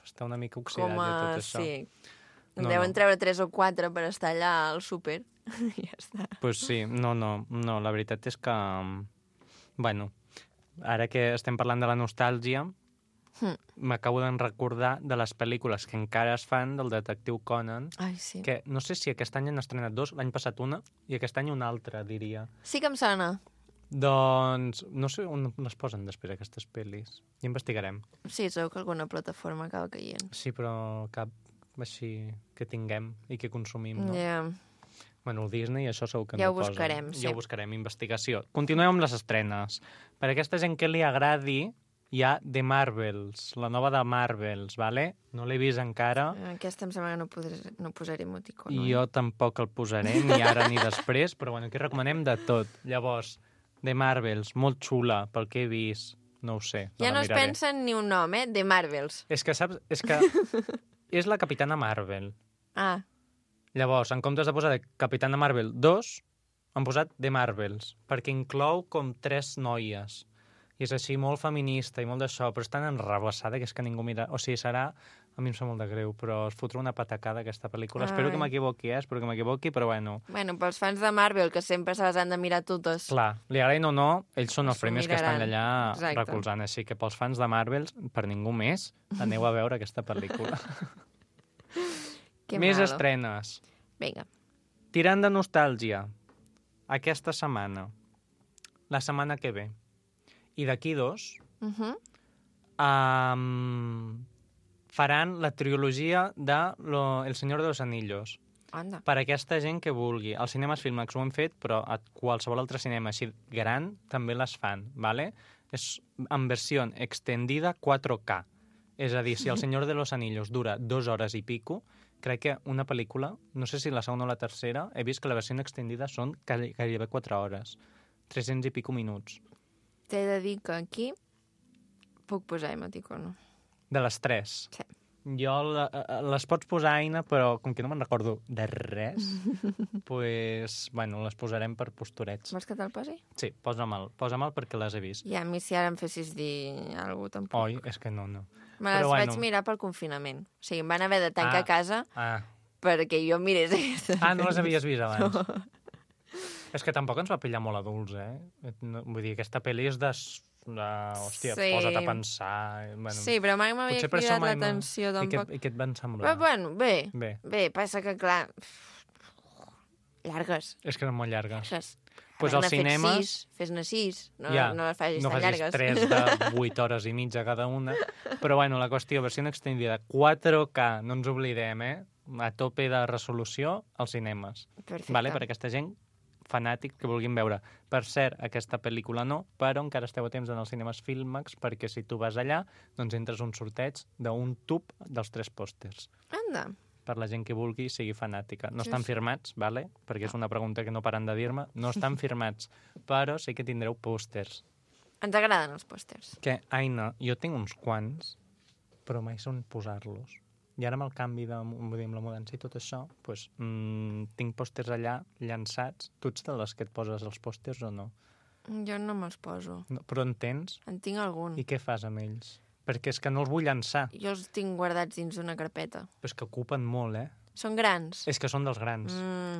està una mica oxidat ja tot això. Sí. En deuen treure 3 o 4 per estar allà al súper. Ja està. Pues sí, no, la veritat és que... Bueno, ara que estem parlant de la nostàlgia, m'acabo de recordar de les pel·lícules que encara es fan del detectiu Conan. Ai, sí. Que no sé si aquest any han estrenat 2, l'any passat una, i aquest any una altra, diria. Sí que em sona. Doncs no sé on les posen després, aquestes pel·lis. I investigarem. Sí, segur que alguna plataforma acaba caient. Sí, però cap així que tinguem i que consumim, no? Ja. Bueno, el Disney, això segur que ja no ho posa. Sí. Ja ho buscarem, investigació. Continuem amb les estrenes. Per aquesta gent que li agradi, hi ha The Marvels, la nova de Marvels, ¿vale? No l'he vist encara. Aquesta em sembla que no posaré emoticó. Jo tampoc el posaré, ni ara ni després, però bueno, aquí recomanem de tot. Llavors, The Marvels, molt xula, pel que he vist, no ho sé. Ja no es pensa en ni un nom, The Marvels. És que, saps, és que és la Capitana Marvel. Ah. Llavors, en comptes de posar Capitana Marvel 2, han posat The Marvels, perquè inclou com 3 noies. I és així molt feminista i molt d'això, però és tan enrabassada que és que ningú mira... O sigui, serà... A mi em sembla molt de greu, però es fotrà una patacada aquesta pel·lícula. Ai. Espero que m'equivoqui, però bueno... Bueno, pels fans de Marvel, que sempre se les han de mirar totes. Clar, li agradin o no, ells són els primers que estan allà recolzant. Així que pels fans de Marvel, per ningú més, aneu a veure aquesta pel·lícula. Més estrenes. Vinga. Tirant de nostàlgia. Aquesta setmana. La setmana que ve. I d'aquí 2 faran la trilogia de El Senyor de los Anillos. Anda. Per aquesta gent que vulgui. Als cinemes Filmax ho hem fet, però a qualsevol altre cinema així gran també les fan, ¿vale? És en versió extendida 4K. És a dir, si El Senyor de los Anillos dura 2 hores i pico, crec que una pel·lícula, no sé si la segona o la tercera, he vist que la versió extendida són gairebé 4 hores. 300 i pico minuts. T'he de dir que aquí puc posar emoticono. De les 3? Sí. Jo les pots posar, Aina, però com que no me'n recordo de res, pues, bueno, les posarem per posturets. Vols que te'l posi? Sí, posa'm perquè les he vist. I a mi si ara em fessis dir alguna cosa tampoc. Oi, és que no. Me les vaig mirar pel confinament. O sigui, em van haver de tancar a casa perquè jo mirés aquesta. No les havies vist abans? No. És que tampoc ens va pillar molt adults, Vull dir, aquesta pel·li és de... Hòstia, sí. Posa't a pensar... Bueno, sí, però mai m'havia cridat l'atenció tampoc. I què et van semblar? Però bueno, bé, passa que clar... Llargues. És que eren molt llargues. Pues al cinema... Fes-ne 6, no les facis tan llargues. No facis 3 de 8 hores i mitja cada una. Però bueno, la qüestió, versió extendida, 4K, no ens oblidem, a tope de resolució als cinemes. Perfecte. Vale? Per aquesta gent fanàtic que vulguin veure. Per cert, aquesta pel·lícula no, però encara esteu a temps en els cinemes Filmax, perquè si tu vas allà, doncs entres un sorteig d'un tub dels 3 pòsters. Anda. Per la gent que vulgui sigui fanàtica. No estan firmats, vale? Perquè és una pregunta que no paren de dir-me. No estan firmats, però sí que tindreu pòsters. Ens agraden els pòsters. Que, Aina, jo tinc uns quants, però mai són posar-los. I ara amb el canvi amb la mudança i tot això, doncs, tinc pòsters allà llançats. Tu ets de les que et poses els pòsters o no? Jo no me'ls poso. No, però en tens? En tinc algun. I què fas amb ells? Perquè és que no els vull llançar. Jo els tinc guardats dins una carpeta. Però és que ocupen molt, Són grans. És que són dels grans.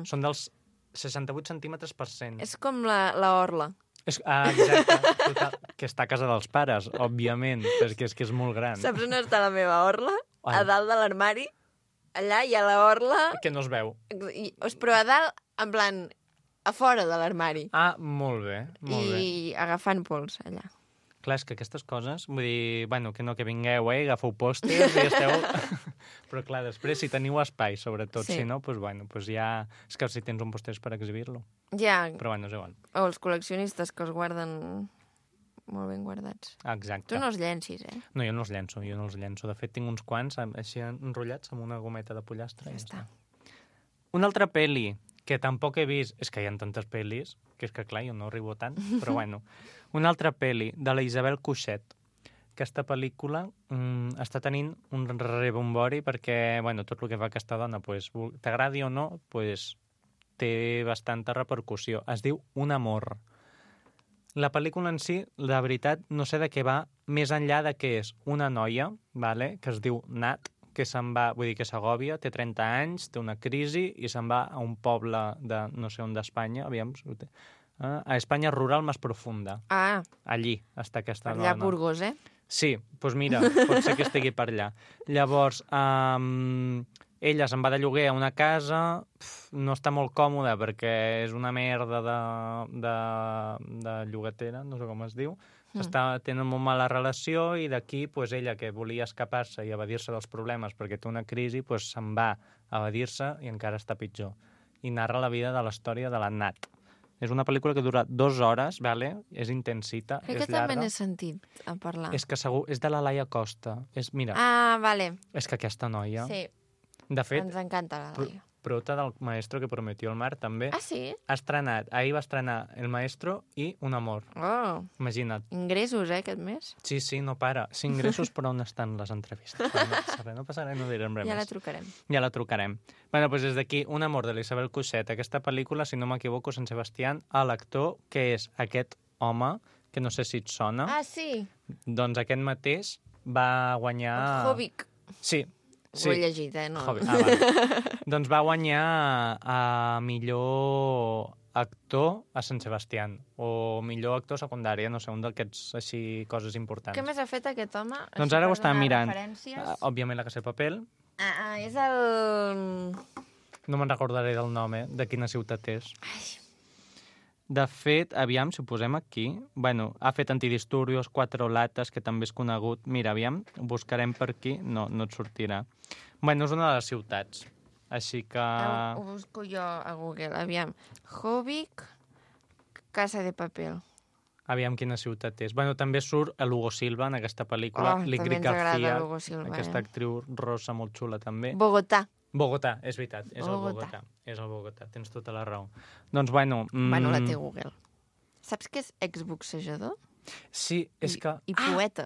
Són dels 68 centímetres per cent. És com la orla. Exacte. Total, que està a casa dels pares, òbviament, perquè és que és molt gran. Saps on està la meva orla? A dalt de l'armari. Allà hi ha la orla... Que no es veu. Però a dalt, en plan, a fora de l'armari. Molt bé, molt bé. I agafant pols, allà. Clar, és que aquestes coses, vull dir, bueno, que no que vingueu, agafeu pòsters i esteu... Però clar, després, si teniu espai, sobretot, si no, doncs bueno, ja... És que si tens un pòster per exhibir-lo. Ja. Però bueno, és igual. O els col·leccionistes que els guarden molt ben guardats. Exacte. Tu no els llencis, No, jo no els llenço. De fet, tinc uns quants així enrotllats amb una gometa de pollastre. Ja està. Una altra pel·li que tampoc he vist... És que hi ha tantes pel·lis, que és que clar, jo no arribo tant, però bueno. Una altra pel·li de la Isabel Cuixet, aquesta pel·lícula està tenint un rebombori perquè, bueno, tot el que fa aquesta dona, pues, t'agradi o no, pues, té bastanta repercussió. Es diu Un amor. La pel·lícula en si, la veritat, no sé de què va, més enllà de que és una noia, vale, que es diu Nat, que se'n va, vull dir que s'agòbia, té 30 anys, té una crisi i se'n va a un poble de no sé on d'Espanya, aviam, a Espanya rural més profunda. Ah. Allí està aquesta allà dona. Allà a Burgos, eh? Sí, doncs mira, pot ser que estigui per allà. Llavors, ella se'n va de lloguer a una casa, no està molt còmoda perquè és una merda de llogatera, no sé com es diu, tenen molt mala relació i d'aquí pues, ella, que volia escapar-se i evadir-se dels problemes perquè té una crisi, pues, se'n va a evadir-se i encara està pitjor. I narra la vida de la història de la Nat. És una pel·lícula que dura 2 hores, vale? És intensita, crec és que llarga. també n'he sentit a parlar. És que segur, és de la Laia Costa. Mira, vale. És que aquesta noia... Sí, de fet, ens encanta la Laia. Prota del Maestro que prometió el mar, també. Ah, sí? Ahir va estrenar El Maestro i Un amor. Oh. Imagina't. Ingressos, aquest mes? Sí, no para. 5 ingressos, però on estan les entrevistes? No passa res, no direm res més. Ja la trucarem. Ja la trucarem. Bueno, doncs des d'aquí, Un amor de l'Isabel Coixet. Aquesta pel·lícula, si no m'equivoco, Sant Sebastián, l'actor, que és aquest home, que no sé si et sona. Ah, sí? Doncs aquest mateix va guanyar... Jovic. Sí. Ho he llegit, no? Vale. Doncs va guanyar a millor actor a Sant Sebastián, o millor actor secundari, no sé, un d'aquests així coses importants. Què més ha fet aquest home? Doncs ara ho estava mirant. Òbviament La Casa de Papel. És el... No me'n recordaré del nom, de quina ciutat és. De fet, aviam, si ho posem aquí... Bueno, ha fet Antidisturbios, Cuatro latas, que també és conegut. Mira, aviam, ho buscarem per aquí. No et sortirà. Bueno, és una de les ciutats. Així que... Ho busco jo a Google, aviam. Jovic, Casa de Papel. Aviam quina ciutat és. Bueno, també surt el Hugo Silva en aquesta pel·lícula. L'Ingrid García, Hugo Silva, aquesta actriu rossa molt xula també. Bogotà, és veritat, és el Bogotà. És el Bogotà, tens tota la raó. Doncs, bueno... Bueno, la té Google. Saps que és exboxejador? Sí, és que... I poeta.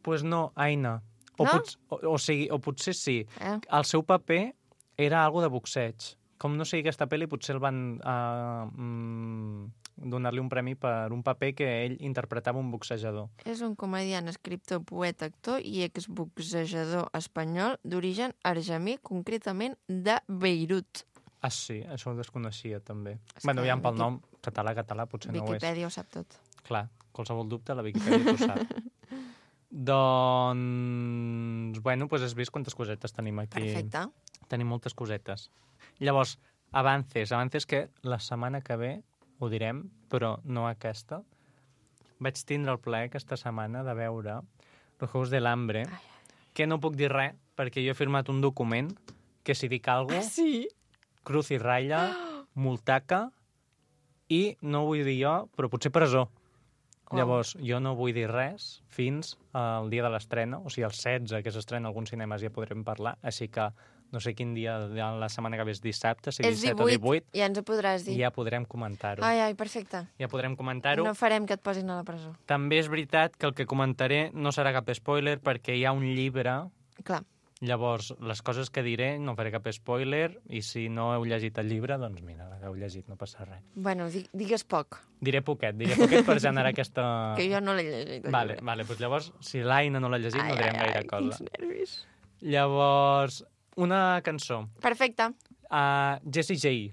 Pues no, Aina. O potser sí. El seu paper era algo de boxeig. Com no sé aquesta pel·li, potser el van donar-li un premi per un paper que ell interpretava un boxejador. És un comediant, escriptor, poeta, actor i exboxejador espanyol d'origen argemí, concretament de Beirut. Ah, sí? Això ho desconeixia, també. Bueno, ja pel nom, català, potser no ho és. Viquipèdia ho sap tot. Clar, qualsevol dubte, la Viquipèdia ho sap. Doncs, bueno, has vist quantes cosetes tenim aquí. Perfecte. Tenim moltes cosetes. Llavors, avances que la setmana que ve ho direm, però no aquesta. Vaig tindre el plaer aquesta setmana de veure Los Juegos del Hambre, que no puc dir res, perquè jo he firmat un document que si dic alguna cosa, sí? Cruz i ratlla, multaca, i no ho vull dir jo, però potser presó. Llavors, jo no vull dir res fins al dia de l'estrena, o sigui, el 16, que s'estrena a alguns cinemes, ja podrem parlar, així que no sé quin dia de la setmana que ve és dissabte, si 17 o 18. Ja ens ho podràs dir. I ja podrem comentar-ho. Ai, perfecte. Ja podrem comentar-ho. No farem que et posin a la presó. També és veritat que el que comentaré no serà cap spoiler perquè hi ha un llibre. Clar. Llavors, les coses que diré no faré cap spoiler i si no heu llegit el llibre, doncs mira, l'heu llegit, no passa res. Bueno, digues poc. Diré poquet per generar aquesta... Que jo no l'he llegit. Vale, doncs llavors, si l'Aina no l'ha llegit, no direm gaire cosa. Quins nervis. Llavors, una cançó. Perfecte. Jessie J.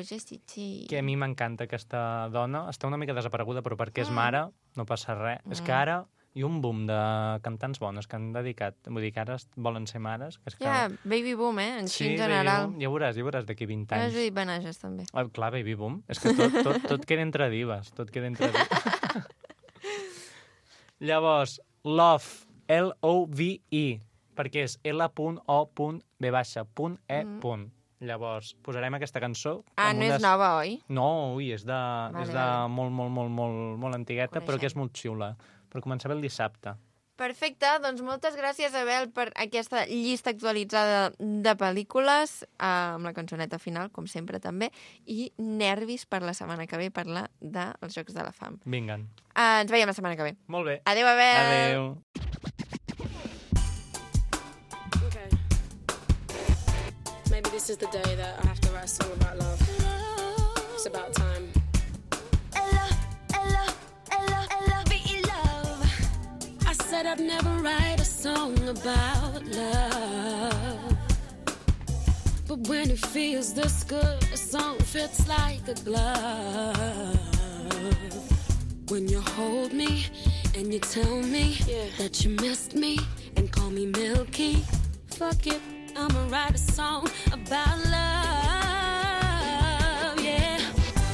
Jessie J. Que a mi m'encanta aquesta dona. Està una mica desapareguda, però perquè és mare, no passa res. És que ara hi ha un boom de cantants bones que han dedicat. Vull dir que ara volen ser mares. Baby boom, en general. Ja veuràs d'aquí 20 anys. Judit Benages, també. Clar, baby boom. És que tot queda entre divas. Tot queda entre divas. Llavors, Love, L-O-V-E, perquè és L.O.V.E. Llavors, posarem aquesta cançó. No és nova, oi? No, és de molt antigueta, però que és molt xiula. Per començar bé el dissabte. Perfecte, doncs moltes gràcies, Abel, per aquesta llista actualitzada de pel·lícules, amb la cançoneta final, com sempre també, i nervis per la setmana que ve parlar dels Jocs de la Fam. Vinga. Ens veiem la setmana que ve. Molt bé. Adéu, Abel! Adéu. Okay. Maybe this is the day that I have to write a song about love. It's about time. I said I'd never write a song about love, but when it feels this good, a song fits like a glove. When you hold me and you tell me that you missed me and call me Milky, fuck it, I'ma write a song about love, yeah.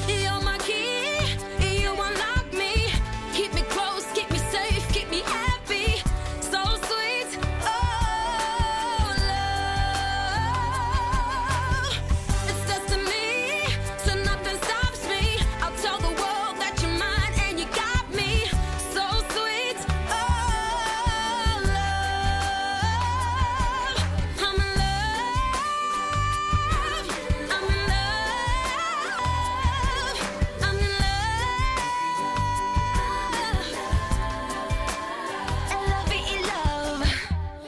You're my key, you unlock me, keep me close, keep me safe, keep me happy, so sweet, oh love. It's destiny, so nothing stops me, I'll tell the world that you're mine and you got me, so sweet, oh love. I'm in love, I'm in love, I'm in love.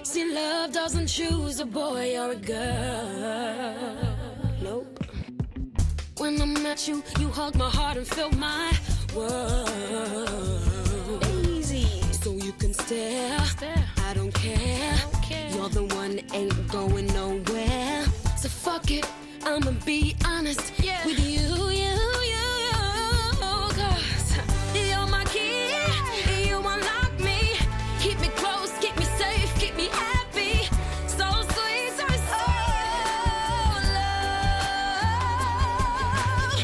See, love doesn't choose a boy or a girl. Nope. When I met you, you hugged my heart and filled my world. Easy. So you can stare. I don't care. You're the one, ain't going nowhere. So fuck it, I'ma be honest with you. 'Cause you're my key, you unlock me, keep me close, keep me safe, keep me happy, so sweet, so oh love.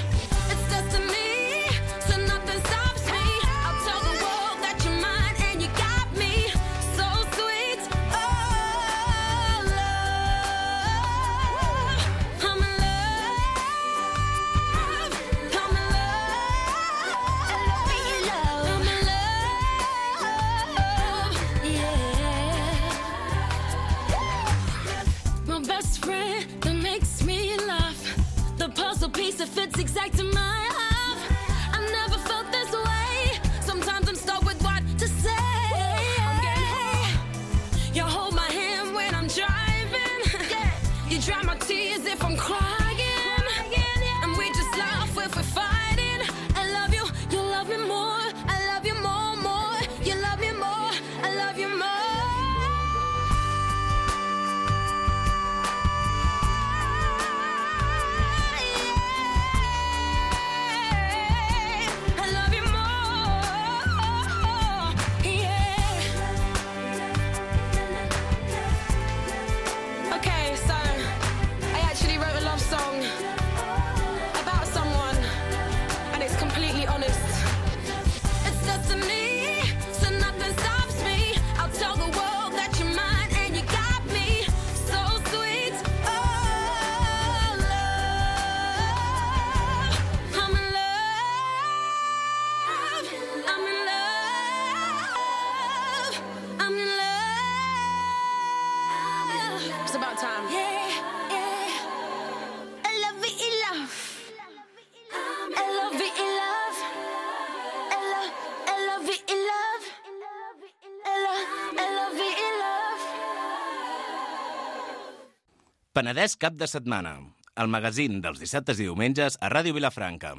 It's destiny, so nothing stops me, I'll tell the world that you're mine and you got me, so sweet, oh love. I'm in love, I'm in love, I'm in love, yeah. My best friend that makes me laugh, the puzzle piece that fits exact to my life. I never felt this way. Sometimes I'm stuck with what to say. You hold my hand when I'm driving. You dry my tears if I'm crying. And we just laugh if we're fighting. I love you, you love me more. I love you more, more. You love me more, I love you more. I love you more, yeah. Okay, so I actually wrote a love song about someone, and it's completely honest. It's destiny, so nothing stops me. I'll tell the world that you're mine and you got me, so sweet, oh love. I'm in love, I'm in love, I'm in love. It's about time. Yeah, yeah. I love it, love. I love it, love. I love it, love. I love it, love. Penedès cap de setmana, el magazín dels dissabtes i diumenges a Ràdio Vilafranca.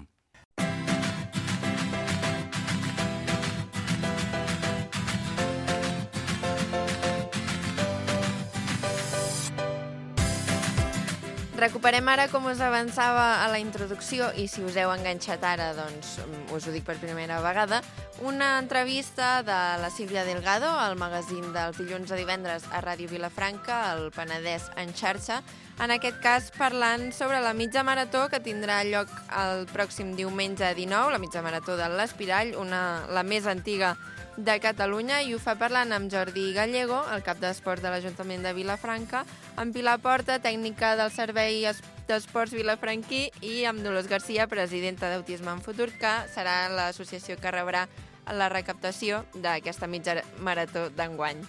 Recuperem ara, com us avançava a la introducció, i si us heu enganxat ara, doncs us ho dic per primera vegada, una entrevista de la Sílvia Delgado al magazín dels dilluns a divendres a Ràdio Vilafranca, el Penedès en xarxa, en aquest cas parlant sobre la mitja marató que tindrà lloc el pròxim diumenge 19, la mitja marató de l'Espirall, la més antiga de Catalunya, i ho fa parlant amb Jordi Gallego, el cap d'Esports de l'Ajuntament de Vilafranca, amb Pilar Porta, tècnica del Servei d'Esports Vilafranquí, i amb Dolors Garcia, presidenta d'Autisme en Futur, que serà l'associació que rebrà la recaptació d'aquesta mitja marató d'enguany.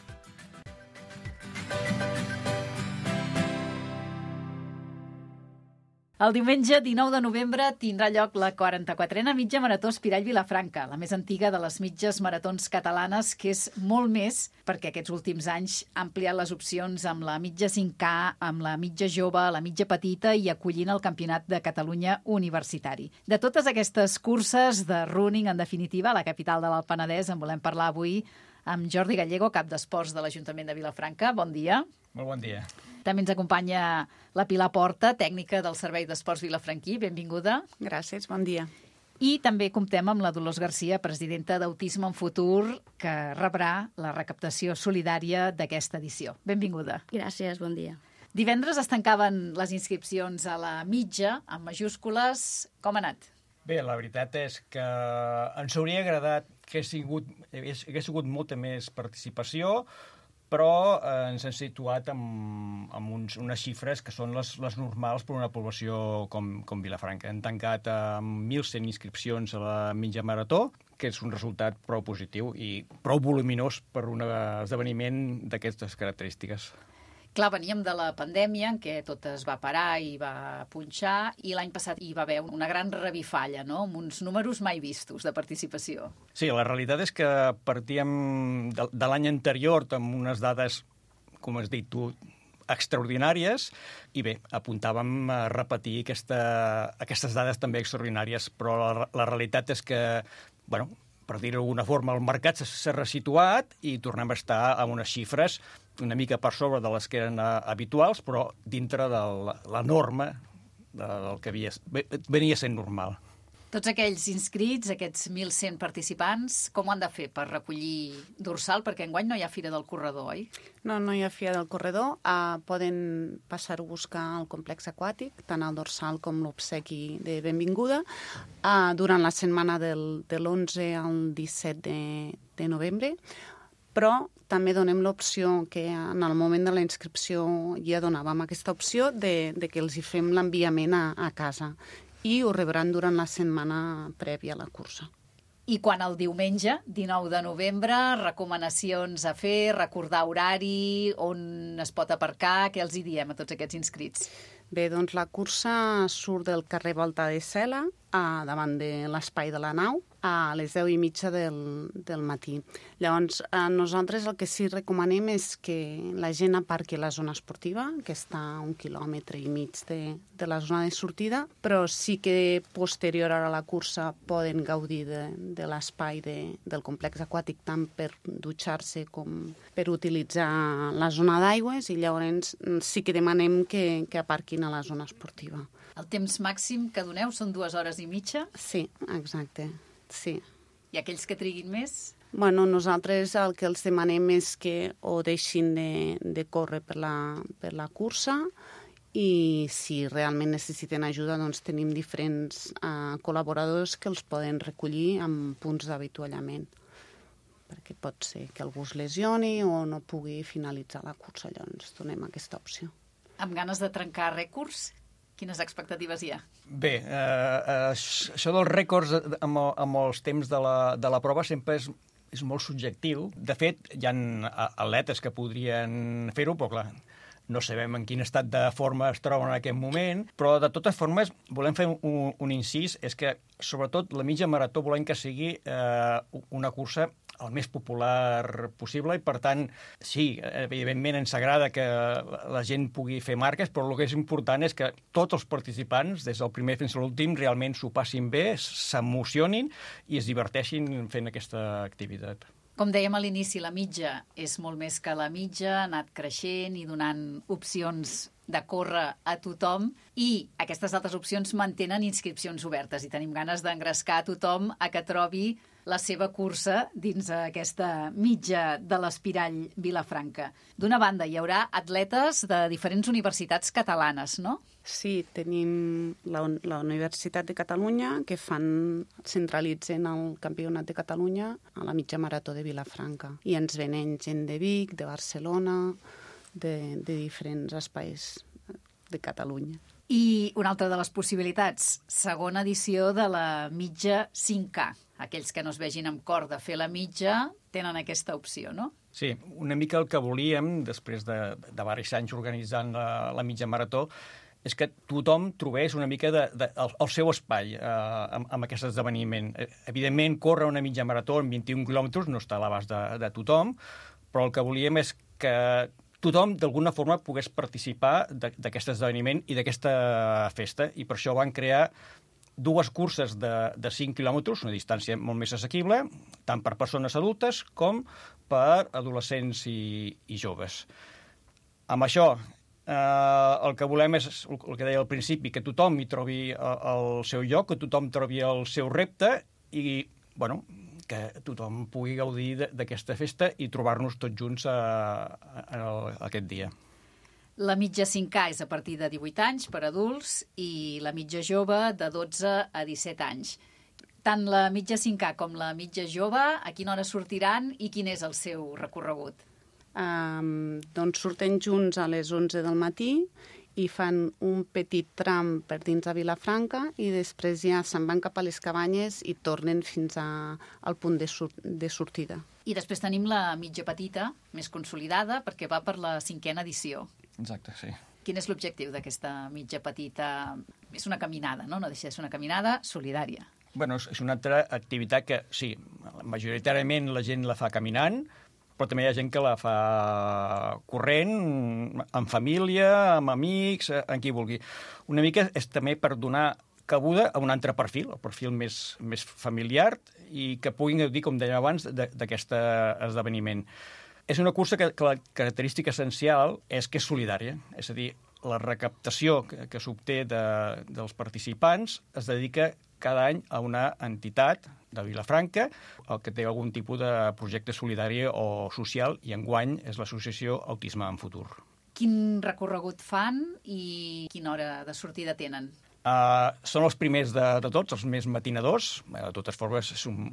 El diumenge 19 de novembre tindrà lloc la 44a mitja marató Espirall Vilafranca, la més antiga de les mitges maratons catalanes, que és molt més perquè aquests últims anys ha ampliat les opcions amb la mitja 5K, amb la mitja jove, la mitja petita i acollint el Campionat de Catalunya universitari. De totes aquestes curses de running, en definitiva, a la capital de l'Alt Penedès, en volem parlar avui amb Jordi Gallego, cap d'Esports de l'Ajuntament de Vilafranca. Bon dia. Molt bon dia. També ens acompanya la Pilar Porta, tècnica del Servei d'Esports Vilafranquí. Benvinguda. Gràcies, bon dia. I també comptem amb la Dolors Garcia, presidenta d'Autisme en Futur, que rebrà la recaptació solidària d'aquesta edició. Benvinguda. Gràcies, bon dia. Divendres es tancaven les inscripcions a la mitja, amb majúscules. Com ha anat? Bé, la veritat és que ens hauria agradat que hagués sigut molta més participació, però ens hem situat amb unes xifres que són les normals per una població com Vilafranca. Hem tancat amb 1.100 inscripcions a la mitja marató, que és un resultat prou positiu i prou voluminós per un esdeveniment d'aquestes característiques. Clar, veníem de la pandèmia, en què tot es va parar i va punxar, i l'any passat hi va haver una gran revifalla, no?, amb uns números mai vistos de participació. Sí, la realitat és que partíem de l'any anterior amb unes dades, com has dit tu, extraordinàries, i bé, apuntàvem a repetir aquestes dades també extraordinàries, però la realitat és que, bueno, per dir-ho d'alguna forma, el mercat s'ha resituat i tornem a estar amb unes xifres una mica per sobre de les que eren habituals, però dintre de la norma del que venia sent normal. Tots aquells inscrits, aquests 1.100 participants, com ho han de fer per recollir dorsal? Perquè enguany no hi ha Fira del Corredor, oi? No hi ha Fira del Corredor. Poden passar-ho a buscar al complex aquàtic, tant el dorsal com l'obsequi de benvinguda, durant la setmana del 11 al 17 de novembre, però també donem l'opció que en el moment de la inscripció ja donàvem aquesta opció de que els hi fem l'enviament a casa i ho rebran durant la setmana prèvia a la cursa. I quan el diumenge, 19 de novembre, recomanacions a fer, recordar horari, on es pot aparcar, què els hi diem a tots aquests inscrits? Bé, doncs la cursa surt del carrer Volta de Cela, davant de l'espai de la nau, a les 10:30 del matí. Llavors, nosaltres el que sí recomanem és que la gent aparqui a la zona esportiva, que està a 1,5 quilòmetres de la zona de sortida, però sí que posterior a la cursa poden gaudir de l'espai del complex aquàtic, tant per dutxar-se com per utilitzar la zona d'aigües, i llavors sí que demanem que aparquin a la zona esportiva. El temps màxim que doneu són 2 hores i mitja? Sí, exacte. Sí. I aquells que triguin més? Bueno, nosaltres el que els demanem és que o deixin de córrer per la cursa, i si realment necessiten ajuda, doncs tenim diferents col·laboradors que els poden recollir amb punts d'avituallament, perquè pot ser que algú es lesioni o no pugui finalitzar la cursa, llavors donem aquesta opció. Amb ganes de trencar rècords? Quines expectatives hi ha? Bé, això dels rècords amb els temps de la prova sempre és molt subjectiu. De fet, hi ha atletes que podrien fer-ho, però clar, no sabem en quin estat de forma es troben en aquest moment, però de totes formes volem fer un incís, és que sobretot la mitja marató volem que sigui una cursa el més popular possible, i per tant, sí, evidentment ens agrada que la gent pugui fer marques, però el que és important és que tots els participants, des del primer fins a l'últim, realment s'ho passin bé, s'emocionin i es diverteixin fent aquesta activitat. Com dèiem a l'inici, la mitja és molt més que la mitja, ha anat creixent i donant opcions de córrer a tothom, i aquestes altres opcions mantenen inscripcions obertes, i tenim ganes d'engrescar a tothom a que trobi la seva cursa dins aquesta mitja de l'Espirall Vilafranca. D'una banda, hi haurà atletes de diferents universitats catalanes, no? Sí, tenim la Universitat de Catalunya, que centralitzen el Campionat de Catalunya a la mitja marató de Vilafranca. I ens venen gent de Vic, de Barcelona, de diferents espais de Catalunya. I una altra de les possibilitats, segona edició de la mitja 5K. aquells que no es vegin amb cor de fer la mitja tenen aquesta opció, no? Sí, una mica el que volíem, després de diversos anys organitzant la mitja marató, és que tothom trobés una mica el seu espai amb aquest esdeveniment. Evidentment, córrer una mitja marató en 21 quilòmetres no està a l'abast de tothom, però el que volíem és que tothom, d'alguna forma, pogués participar d'aquest esdeveniment i d'aquesta festa, i per això van crear 2 curses de 5 quilòmetres, una distància molt més assequible, tant per persones adultes com per adolescents i joves. Amb això, el que volem és, el que deia al principi, que tothom hi trobi el seu lloc, que tothom trobi el seu repte i, bueno, que tothom pugui gaudir d'aquesta festa i trobar-nos tots junts aquest dia. La mitja 5K és a partir de 18 anys per adults i la mitja jove de 12 a 17 anys. Tant la mitja 5K com la mitja jove, a quina hora sortiran i quin és el seu recorregut? Doncs surten junts a les 11 del matí i fan un petit tram per dins de Vilafranca i després ja se'n van cap a les cabanyes i tornen fins al punt de sortida. I després tenim la mitja petita, més consolidada, perquè va per la 5a edició. Exacte, sí. Quin és l'objectiu d'aquesta mitja petita? És una caminada, no? No deixa de ser una caminada solidària. Bueno, és una altra activitat que, sí, majoritàriament la gent la fa caminant, però també hi ha gent que la fa corrent, en família, amb amics, en qui vulgui. Una mica és també per donar cabuda a un altre perfil, el perfil més familiar, i que puguin gaudir, com dèiem abans, d'aquest esdeveniment. És una cursa que la característica essencial és que és solidària, és a dir, la recaptació que s'obté dels participants es dedica cada any a una entitat de Vilafranca, el que té algun tipus de projecte solidari o social, i enguany és l'associació Autisme en Futur. Quin recorregut fan i quina hora de sortida tenen? Són els primers de tots, els més matinadors. De totes formes, és un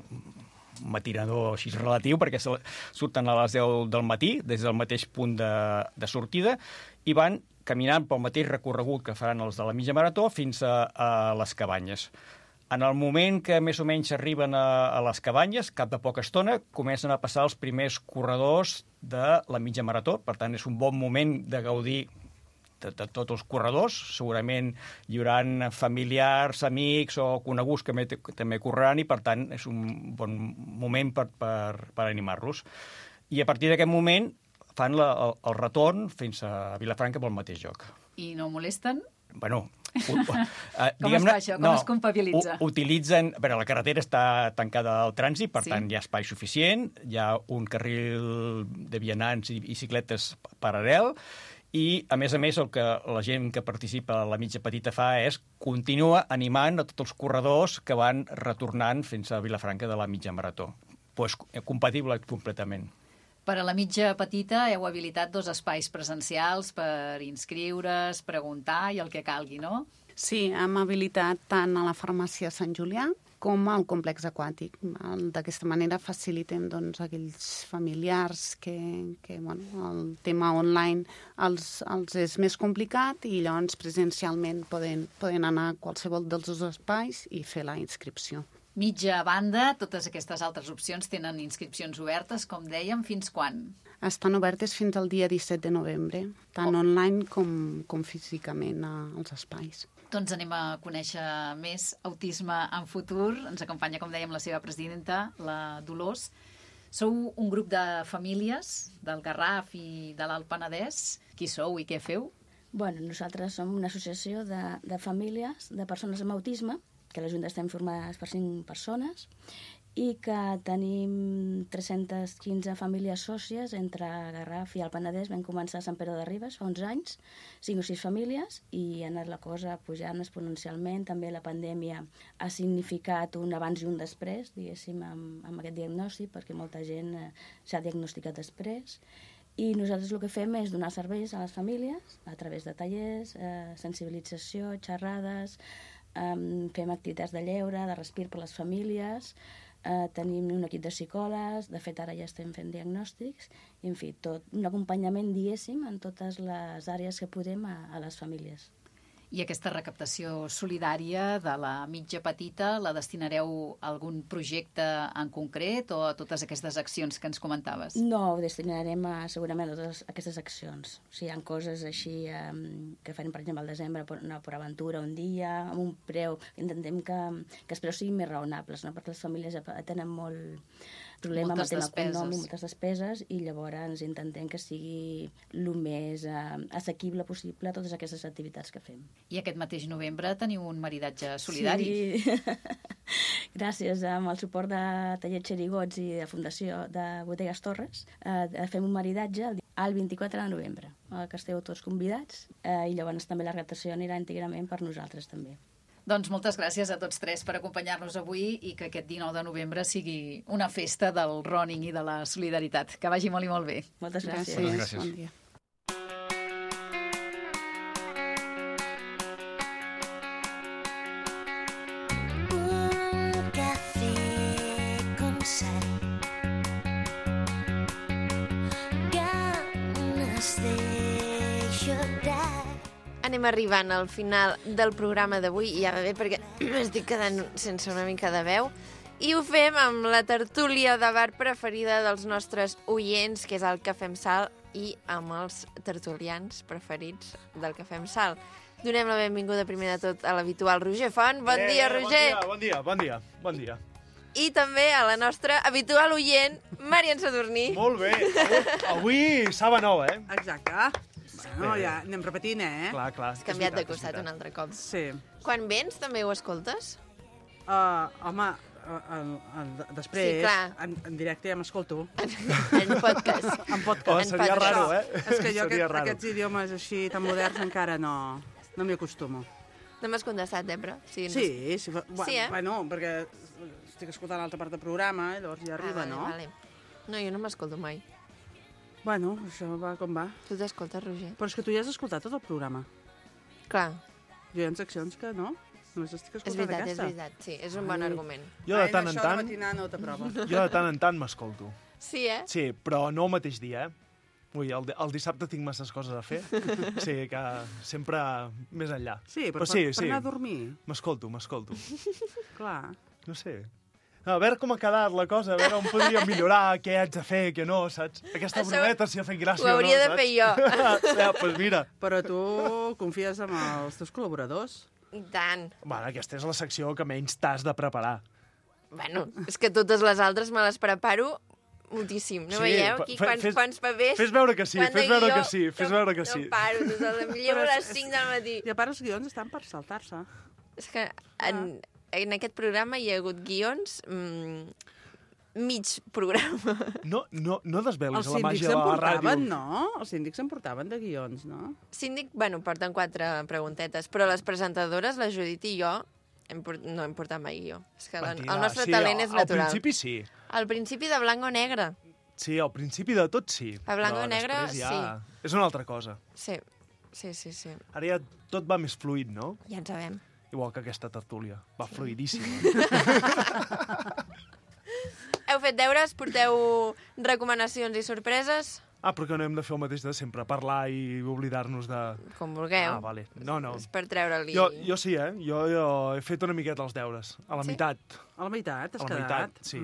matinador així relatiu, perquè surten a les 10 del matí, des del mateix punt de sortida, i van caminant pel mateix recorregut que faran els de la mitja marató fins a les cabanyes. En el moment que més o menys arriben a les cabanyes, cap de poca estona, comencen a passar els primers corredors de la mitja marató. Per tant, és un bon moment de gaudir de tots els corredors. Segurament hi haurà familiars, amics o coneguts que també correran i, per tant, és un bon moment per animar-los. I a partir d'aquest moment fan el retorn fins a Vilafranca pel mateix lloc. I no molesten? Bueno, com es fa això? Com es compabilitza? Utilitzen... La carretera està tancada al trànsit, per tant, hi ha espai suficient, hi ha un carril de vianants i bicicletes paral·lel, i, a més, el que la gent que participa a la mitja petita fa és continua animant a tots els corredors que van retornant fins a Vilafranca de la mitja marató. Pues, compatible completament. Per a la mitja petita heu habilitat 2 espais presencials per inscriure's, preguntar i el que calgui, no? Sí, hem habilitat tant a la farmàcia Sant Julià com al complex aquàtic. D'aquesta manera facilitem aquells familiars que el tema online els és més complicat i llavors presencialment poden anar a qualsevol dels 2 espais i fer la inscripció. Mitja banda, totes aquestes altres opcions tenen inscripcions obertes, com dèiem, fins quan? Estan obertes fins al dia 17 de novembre, tant online com físicament als espais. Doncs anem a conèixer més Autisme en Futur. Ens acompanya, com dèiem, la seva presidenta, la Dolors. Sou un grup de famílies del Garraf i de l'Alt Penedès. Qui sou i què feu? Bueno, nosaltres som una associació de famílies de persones amb autisme, que a la Junta estem formades per 5 persones i que tenim 315 famílies sòcies entre Garraf i el Penedès. Vam començar a Sant Pere de Ribes fa uns anys, 5 o 6 famílies, i ha anat la cosa pujant exponencialment. També la pandèmia ha significat un abans i un després, diguéssim, amb aquest diagnòstic, perquè molta gent s'ha diagnosticat després. I nosaltres el que fem és donar serveis a les famílies a través de tallers, sensibilització, xerrades, fem activitats de lleure, de respir per les famílies, tenim un equip de psicòlegs, de fet ara ja estem fent diagnòstics, i en fi, tot un acompanyament, diguéssim, en totes les àrees que podem a les famílies. I aquesta recaptació solidària de la mitja petita la destinareu a algun projecte en concret o a totes aquestes accions que ens comentaves? No, ho destinarem segurament a totes aquestes accions. O sigui, hi ha coses així que farem, per exemple, al desembre, una per aventura un dia, amb un preu. Intentem que els preus siguin més raonables, no? Perquè les famílies tenen molt problema amb el tema econòmic, moltes despeses, i llavors intentem que sigui el més assequible possible a totes aquestes activitats que fem. I aquest mateix novembre teniu un maridatge solidari. Sí. Gràcies amb el suport de Taller Xerigots i de Fundació de Bodegas Torres, fem un maridatge el 24 de novembre, que esteu tots convidats, i llavors també la recaptació anirà íntegrament per nosaltres també. Doncs moltes gràcies a tots tres per acompanyar-nos avui i que aquest 19 de novembre sigui una festa del running i de la solidaritat. Que vagi molt i molt bé. Moltes gràcies. Moltes gràcies. Bon dia. Un café con sal, ganas de llorar. Anem arribant al final del programa d'avui i ja va bé perquè m'estic quedant sense una mica de veu. I ho fem amb la tertúlia de bar preferida dels nostres oients, que és el Cafè amb Sal, i amb els tertulians preferits del Cafè amb Sal. Donem la benvinguda primer de tot a l'habitual Roger Font. Bon dia, Roger! Bon dia. I també a la nostra habitual oient, Marian Sadurní. Molt bé. Avui saba nova, eh? Exacte. Bueno, ja anem repetint, eh? Clar. Has canviat de costat un altre cop. Sí. Quan vens també ho escoltes? Home, després, sí, en directe ja m'escolto. En podcast. En podcast. Seria raro, eh? És que jo aquests idiomes així tan moderns encara no m'hi acostumo. No m'has contestat, però... Sí. Bueno, perquè estic escoltant l'altra part del programa, i llavors ja arriba, no? Vale. No, jo no m'escolto mai. Bueno, això va com va. Tu t'escoltes, Roger? Però és que tu ja has escoltat tot el programa. Clar. Jo hi ha seccions que no. Només estic escoltant aquesta. És veritat, sí. És un bon argument. Jo de tant en Això tant... de matinada no t'aprova. Jo de tant en tant m'escolto. Sí, eh? Sí, però no el mateix dia, eh? Ui, el dissabte tinc masses coses a fer. Sí, que sempre més enllà. Sí, però per anar a dormir. M'escolto. Clar. No sé. A veure com ha quedat la cosa, a veure on podríem millorar, què haig de fer, què no, saps? Aquesta brometa si ha fet gràcia o no, saps? Ho hauria de fer jo. Ja, doncs mira. Però tu confies en els teus col·laboradors? I tant. Bueno, aquesta és la secció que menys t'has de preparar. Bueno, és que totes les altres me les preparo moltíssim. No veieu aquí quants papers? Fes veure que sí, fes veure que sí. No paro, llevo a les 5 del matí. I a part els guions estan per saltar-se. És que en aquest programa hi ha hagut guions mig programa. No desvelis la màgia de la ràdio. No? Els síndics se'n portaven de guions, no? Síndic, bueno, porten 4 preguntetes, però les presentadores, la Judit i jo, no hem portat mai guió. És que el nostre talent és natural. Al principi sí. Al principi de blanc o negre. Sí, al principi de tot sí. A blanc o negre, ja... sí. És una altra cosa. Sí. Ara ja tot va més fluid, no? Ja en sabem. Igual que aquesta tertúlia. Va fluidíssima. Heu fet deures? Porteu recomanacions i sorpreses? Però que no hem de fer el mateix de sempre, parlar i oblidar-nos de... Com vulgueu. Vale. No. És per treure-li... Jo sí, eh? Jo he fet una miqueta els deures. A la meitat. A la meitat? Has quedat? A la meitat, sí.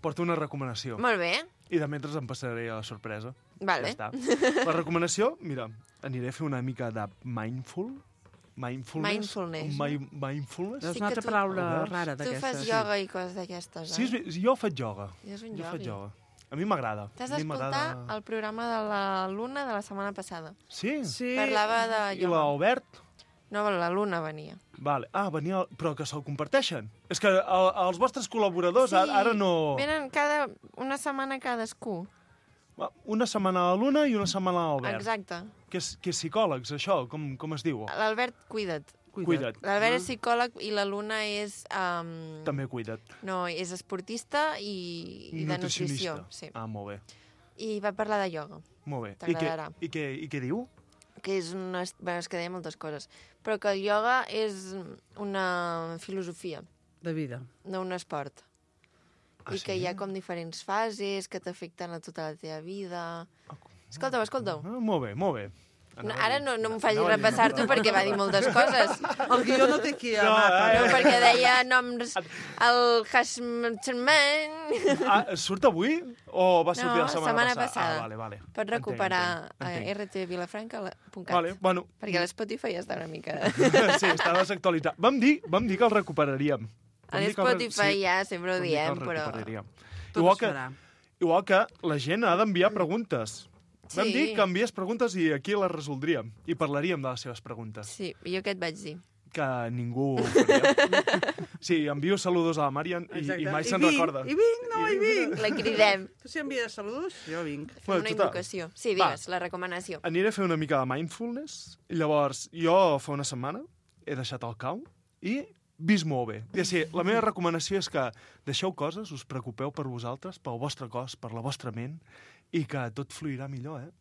Porto una recomanació. Molt bé. I de mentre em passaré a la sorpresa. Vale. Ja està. La recomanació, mira, aniré a fer una mica de mindfulness. És una altra paraula rara d'aquestes. Tu fas ioga i coses d'aquestes, eh? Sí, jo faig ioga. És un iogui. A mi m'agrada. T'has d'escoltar el programa de la Luna de la setmana passada. Sí? Parlava de ioga. I l'Albert? No, la Luna venia. Vale. Venia, però que se'l comparteixen. És que els vostres col·laboradors ara no... Venen una setmana cadascú. Una setmana a la Luna i una setmana a l'Albert. Exacte. Que és psicòlegs, això? Com es diu? L'Albert, cuida't. L'Albert és psicòleg i la Luna és... També cuida't. No, és esportista i de nutrició. Sí. Molt bé. I va parlar de ioga. Molt bé. T'agradarà. I què diu? Que és una... Bueno, és que deia moltes coses. Però que el ioga és una filosofia. De vida. No un esport. I que hi ha com diferents fases que t'afecten a tota la teva vida. Escolta-ho. Molt bé. No, ara no m'ho facis repassar-t'ho perquè va dir moltes coses. El guió no té aquí a mapa. No, perquè deia noms... El Hashman... Surt avui o va sortir la setmana passada? Vale. Pots recuperar a rtvilafranca.cat. Vale, bueno. Perquè l'Spotify està una mica... Sí, està desactualitzat. Vam dir que el recuperaríem. A l'Spotify ja sempre ho diem, però... Igual que la gent ha d'enviar preguntes. Vam Sí. dir que envies preguntes i aquí les resoldríem. I parlaríem de les seves preguntes. Sí, jo què et vaig dir? Que ningú ho faria. Sí, envio saludos a la Marian i mai se'n recorda. I vinc. La cridem. Tu si envies saludos, jo vinc. Fem una invocació. Sí, digues, la recomanació. Aniré a fer una mica de mindfulness. I llavors, jo fa una setmana he deixat el cau i vist molt bé. Ja sé, la meva recomanació és que deixeu coses, us preocupeu per vosaltres, pel vostre cos, per la vostra ment, i que tot fluirà millor,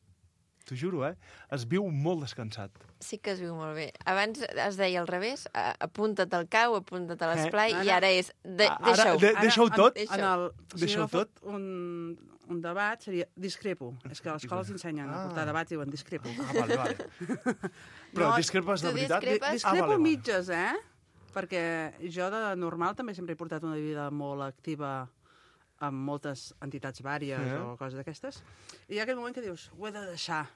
T'ho juro, Es viu molt descansat. Sí que es viu molt bé. Abans es deia al revés, apunta't al cau, apunta't a l'esplai, i ara és deixa-ho. Deixa-ho tot? Deixa-ho tot? Un debat seria discrepo. És que a l'escola s'ensenyen a portar debats i diuen discrepo. Vale. Però discrepes de veritat? Discrepo mitges, Perquè jo de normal també sempre he portat una vida molt activa amb moltes entitats vàries o coses d'aquestes. I hi ha aquell moment que dius, ho he de deixar.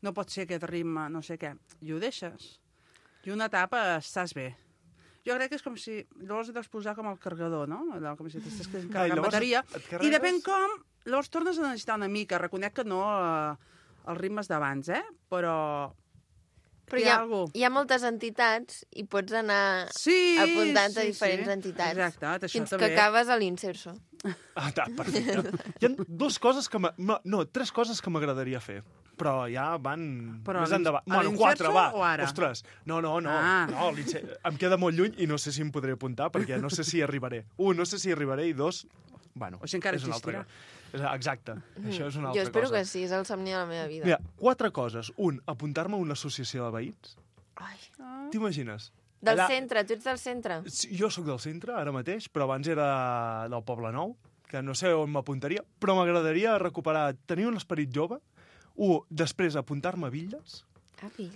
No pot ser aquest ritme, no sé què. I ho deixes. I una etapa estàs bé. Jo crec que és com si... Llavors et deus posar com el cargador, no? Allò, com si t'estàs carregant bateria. I depèn com... Llavors tornes a necessitar una mica. Reconec que no els ritmes d'abans, però... Però hi ha moltes entitats i pots anar apuntant a diferents entitats. Exacte, això fins que acabes a l'Inserso. Perfecte. Hi ha tres coses que m'agradaria fer. Però ja van més endavant. Bueno, 4, va. Ostres, no, em queda molt lluny i no sé si em podré apuntar perquè no sé si arribaré. No sé si arribaré i 2, bueno, o si encara existirà. Exacte, això és una altra cosa. Jo espero que sí, és el somni de la meva vida. Mira, 4 coses. Apuntar-me a una associació de veïns. T'imagines? Del centre, tu ets del centre? Jo sóc del centre, ara mateix, però abans era del Poble Nou, que no sé on m'apuntaria, però m'agradaria recuperar, tenir un esperit jove, després apuntar-me a Villes.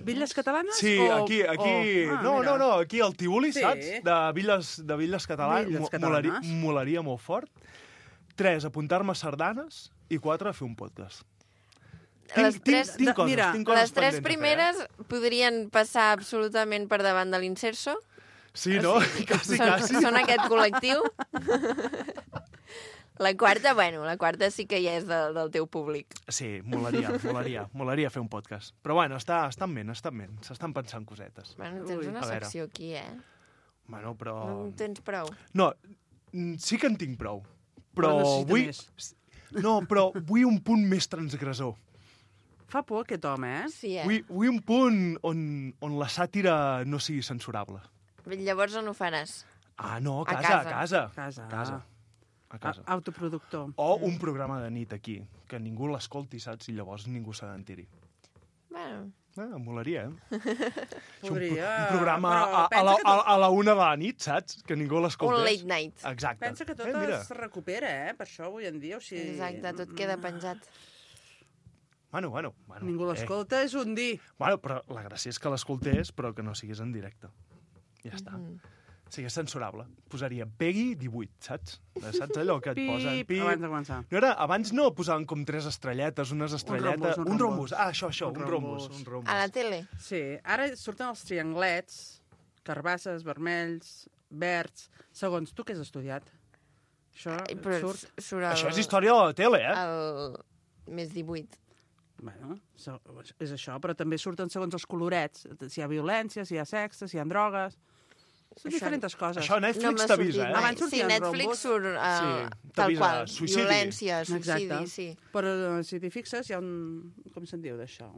Villes catalanes? Sí, aquí. No, aquí al Tívoli, saps? De Villes catalanes. Molaria molt fort. 3, apuntar-me a sardanes. I 4, fer un podcast. Tinc coses les 3 primeres podrien passar absolutament per davant de l'Inserso. Sí, no? Quasi. Són aquest col·lectiu. La quarta sí que ja és del teu públic. Sí, molaria fer un podcast. Però bueno, estan bé, s'estan pensant cosetes. Bueno, tens una secció aquí, Bueno, però... No en tens prou. No, sí que en tinc prou. Però vull... No, però vull un punt més transgressor. Fa por aquest home, Sí, Vull un punt on la sàtira no sigui censurable. Llavors on ho faràs? No, a casa. A casa. Autoproductor. O un programa de nit aquí, que ningú l'escolti, saps? I llavors ningú se n'entiri. Bueno... Molaria, Podria... Un programa a la 1 de la nit, saps? Que ningú l'escoltés. Un late night. Exacte. Pensa que tot es recupera, per això avui en dia. Exacte, tot queda penjat. Bueno. Ningú l'escolta, és un dir. Bueno, però la gràcia és que l'escoltés, però que no siguis en directe. Ja està. Sigui censurable. Posaria Peggy 18, saps? Saps allò que et posen? Abans de començar. Abans no posaven com 3 estrelletes, unes estrelletes... Un rombus. Això, un rombus. A la tele? Sí, ara surten els trianglets, carbasses, vermells, verds, segons tu què has estudiat. Això surt... Això és història de la tele, El més 18. Bueno, és això, però també surten segons els colorets. Si hi ha violència, si hi ha sexe, si hi ha drogues... Són diferents coses. Això Netflix t'avisa, Abans sí, Netflix surt tal qual. Violència, suïcidi, sí. Però si t'hi fixes, hi ha un... Com se'n diu d'això?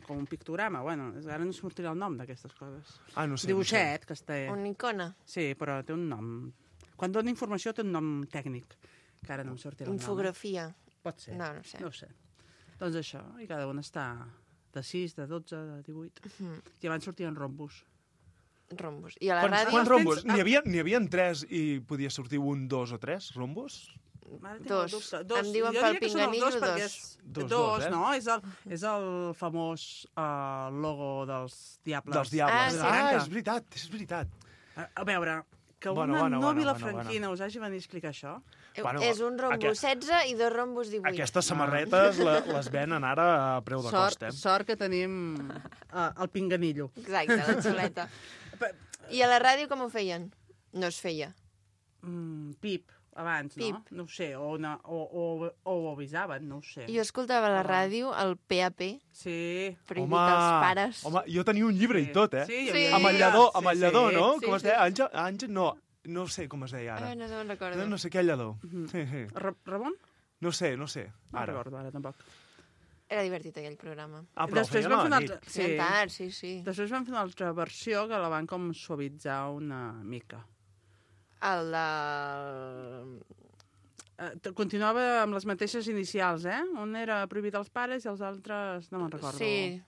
Com un pictograma. Bueno, ara no sortirà el nom d'aquestes coses. No sé. Dibuixet, que està... Una icona. Sí, però té un nom. Quan dona informació té un nom tècnic, que ara no em sortirà el nom. Infografia. Pot ser. No sé. No ho sé. Doncs això, i cada un està de 6, de 12, de 18. I abans sortien rombus. Rombus. I a la ràdio... Quants rombus? N'hi havia 3 i podia sortir 1, 2 o 3 rombus? Dos. Em diuen pel pinganillo dos. Dos, no? És el famós logo dels Diables. Dels Diables. És veritat. A veure, que una no vilafranquina us hagi venit a explicar això... És un rombo 16 i 2 rombos 18. Aquestes samarretes les venen ara a preu de cost, Sort que tenim el pinganillo. Exacte, la xuleta. I a la ràdio com ho feien? No es feia. Pip, abans, no? No ho sé, o ho avisaven, no ho sé. Jo escoltava a la ràdio el PAP. Sí. Prohibit als pares. Home, jo tenia un llibre i tot, Sí. Amb el lladó, no? Com es deia? Àngel, no sé com es deia ara. No me'n recordo. No sé què lladó. Ramon? No sé, ara. No recordo, ara tampoc. Era divertit aquell programa. Però després feien a la nit. Sí. Després van fer una altra versió que la van com suavitzar una mica. El de... Continuava amb les mateixes inicials, Un era prohibit als pares i els altres no me'n recordo. Sí.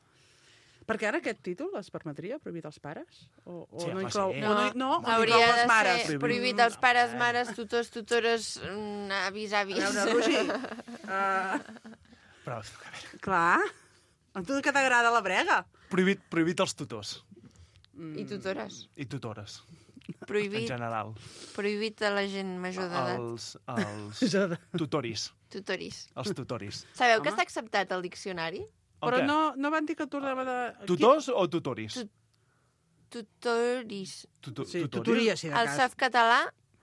Perquè ara aquest títol es permetria, prohibit als pares? Sí, no home, inclou, sí. no hauria inclou de les mares? ser prohibit als pares, mares, tutors, tutores, avis, avis. A veure, Roger, Però, a veure... clar, a tu que t'agrada la brega. Prohibit als tutors. I tutores. I tutores. Prohibit. En general. Prohibit a la gent major d'edat. Els tutoris. Tutoris. Els tutoris. Sabeu que està acceptat al diccionari? Però no van dir que tornava de... Tutors o tutoris? Tutoris. Sí, tutoria, sí, de cas.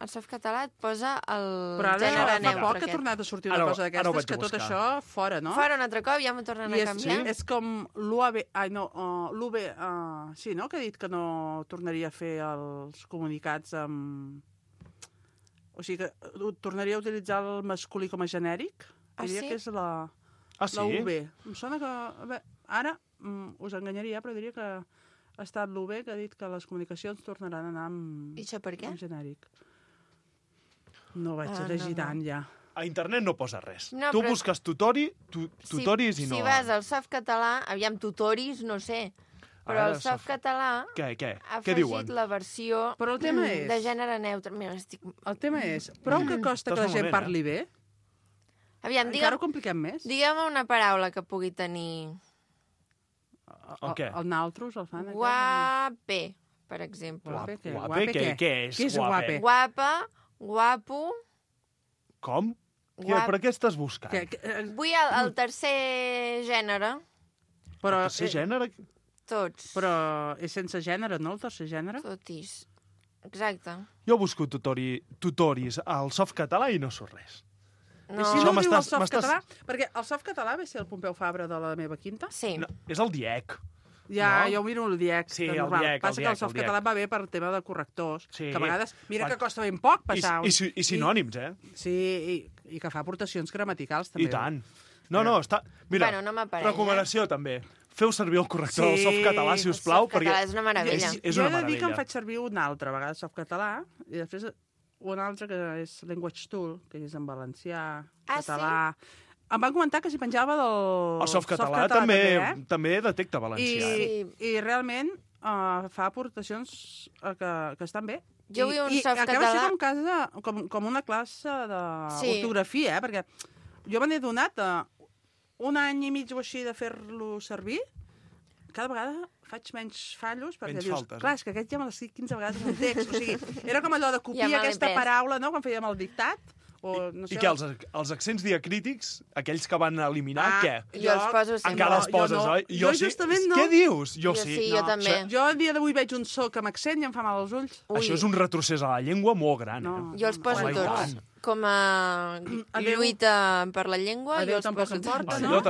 El softcatalà et posa el però gènere ara neutre. fa poc que ha tornat a sortir una cosa d'aquestes, que tot això fora, no? Fora un altre cop, ja m'ho tornen a canviar. És com l'UAB... l'UB... sí, no? Que ha dit que no tornaria a fer els comunicats amb... O sigui, que tornaria a utilitzar el masculí com a genèric. Diria que és la UB. Em sona que... Ara us enganyaria, però diria que ha estat l'UB que ha dit que les comunicacions tornaran a anar amb... I això per què? Amb genèric. No vaig llegir tant, ja. A internet no posa res. No, tu però... busques tutoris i no... Si vas al softcatalà, aviam, tutoris, no sé, però el softcatalà Què? ha Què diuen? afegit la versió però el tema és... de gènere neutre. Mira, El tema és, prou que costa que la gent parli bé? Aviam, encara ho compliquem més? Digue'm una paraula que pugui tenir... El què? El naltros el fan? Guape, per exemple. Guape? Què és? Què és guape? Guapa, guapo... Com? Per què estàs buscant? Vull el tercer gènere. Però, el tercer gènere? Tots. Però és sense gènere, no, el tercer gènere? Totis. Exacte. Jo busco tutoris al softcatalà i no surt res. No. I si no diu el softcatalà? Perquè el softcatalà ve ser el Pompeu Fabra de la meva quinta? Sí. No, és el DIEC. Ja, jo ho miro el DIEC. Sí, el DIEC. Passa que el softcatalà va bé per tema de correctors, sí. Que a vegades... Mira que costa ben poc passar... I sinònims, Sí, i que fa aportacions gramaticals, també. I tant. No, està... Mira, bueno, no m'apareix, recomanació, també. Feu servir el corrector del softcatalà, si us plau, perquè... és una meravella. És una jo he de dir que meravella. em faig servir una altra vegada softcatalà, i després una altra que és Language Tool, que és en valencià, català... Sí? Em van comentar que s'hi penjava del el softcatalà també detecta valencià. I realment fa aportacions que estan bé. Jo vull un softcatalà... Acaba sent com una classe d'ortografia, perquè jo me n'he donat un any i mig o així de fer-lo servir. Cada vegada faig menys fallos, perquè menys dius, faltes, clar, és que aquest ja me l'estic 15 vegades en el text. O sigui, era com allò de copiar aquesta paraula, no?, quan fèiem el dictat. No sé, I què, els accents diacrítics, aquells que van eliminar, què? Jo els poso sempre. Encara els poses, oi? Jo justament no. Què dius? Jo sí, jo també. Jo el dia d'avui veig un so amb accent i em fa mal als ulls. Això és un retrocés a la llengua molt gran. Jo els poso tots. Com a lluita per la llengua, jo els poso tots. Jo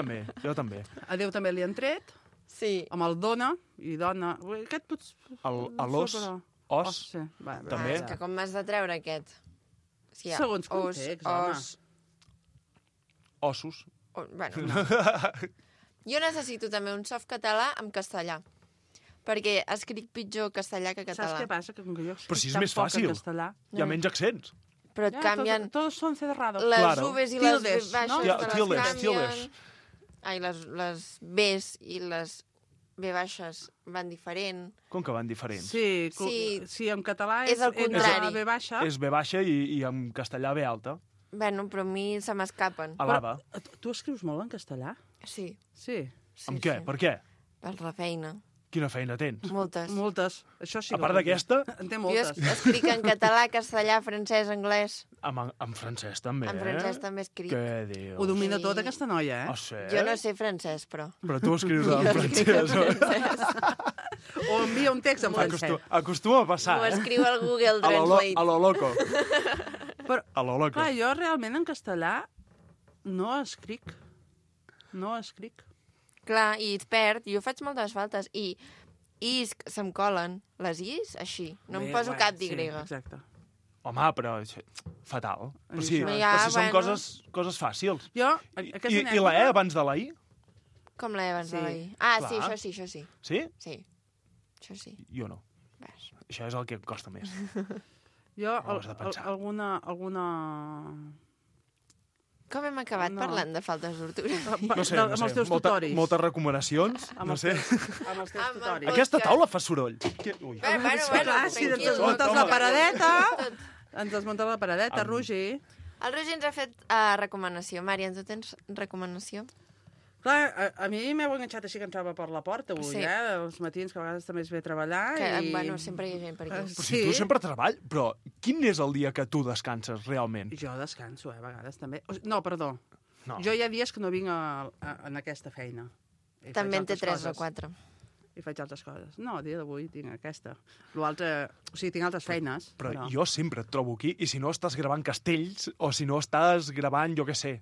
també. A Déu també li han tret. Sí. Amb el dona i dona. Aquest potser... L'os. Os. També. És que com m'has de treure aquest? Sí, segons context, home. Ossos. Bueno, no. Jo necessito també un softcatalà en castellà, perquè escric pitjor castellà que català. Saps què passa? Que com que jo però si és més fàcil. Hi ha menys accents. Però et canvien... Todos son cerrados. Les U's i les B baixes tildes. Ai, les B's i les B baixes van diferent. Com que van diferents? Sí, en català és el contrari. B baixa. És B baixa i en castellà B alta. Bueno, però a mi se m'escapen. Alaba. Tu escrius molt en castellà? Sí. Sí. Amb què? Per què? Per la feina. Quina feina tens? Moltes. Moltes. Això sí. A part d'aquesta? En té Jo moltes. escric en català, castellà, francès, anglès. En francès també, En francès també escric. Què dius? Ho domina tot, aquesta noia, Ah, sí? Jo no sé francès, però. Però tu escrius en Jo escric en francès. O envia un text en francès. Acostuma a passar, Ho escriu al Google A Translate. lo loco. Però, A lo loco. clar, jo realment en castellà no escric. No escric. Clar, i et perd. Jo faig moltes faltes. I is se'm colen. Les is, així. No em poso cap d'Y. Sí, exacte. Home, però fatal. Però sí, Això. però si són Bueno. coses fàcils. Jo, I la E abans de la I? Com la E abans Sí. de la I? Ah, Clar. sí, això sí, això sí. Sí? Sí. Això sí. Jo no. Això és el que em costa més. Jo, Ho has de pensar. alguna... Com hem acabat No. parlant de faltes d'ortografia? No sé, Amb els teus tutoris. Moltes recomanacions, Amb no els sé. Amb els teus tutoris. Aquesta taula fa soroll. Ui. Bueno, Clar, si ens tranquil. desmuntes Toma. la paradeta... Ens desmuntes la paradeta, Roger. El Roger ens ha fet recomanació. Mària, tu tens recomanació? Clar, a mi m'heu enganxat així que entrava per la porta avui, Sí. Els matins, que a vegades també es ve a treballar. Que, i... bueno, sempre hi ha gent per aquí. Però si tu sempre treballes, però quin és el dia que tu descanses realment? Jo descanso, a vegades també. No, perdó. No. Jo hi ha dies que no vinc en aquesta feina. I faig També en té altres 3 o coses. 4. I faig altres coses. No, el dia d'avui tinc aquesta. L'altre... O sigui, tinc altres feines. Però jo sempre et trobo aquí, i si no estàs gravant castells, o si no estàs gravant, jo què sé,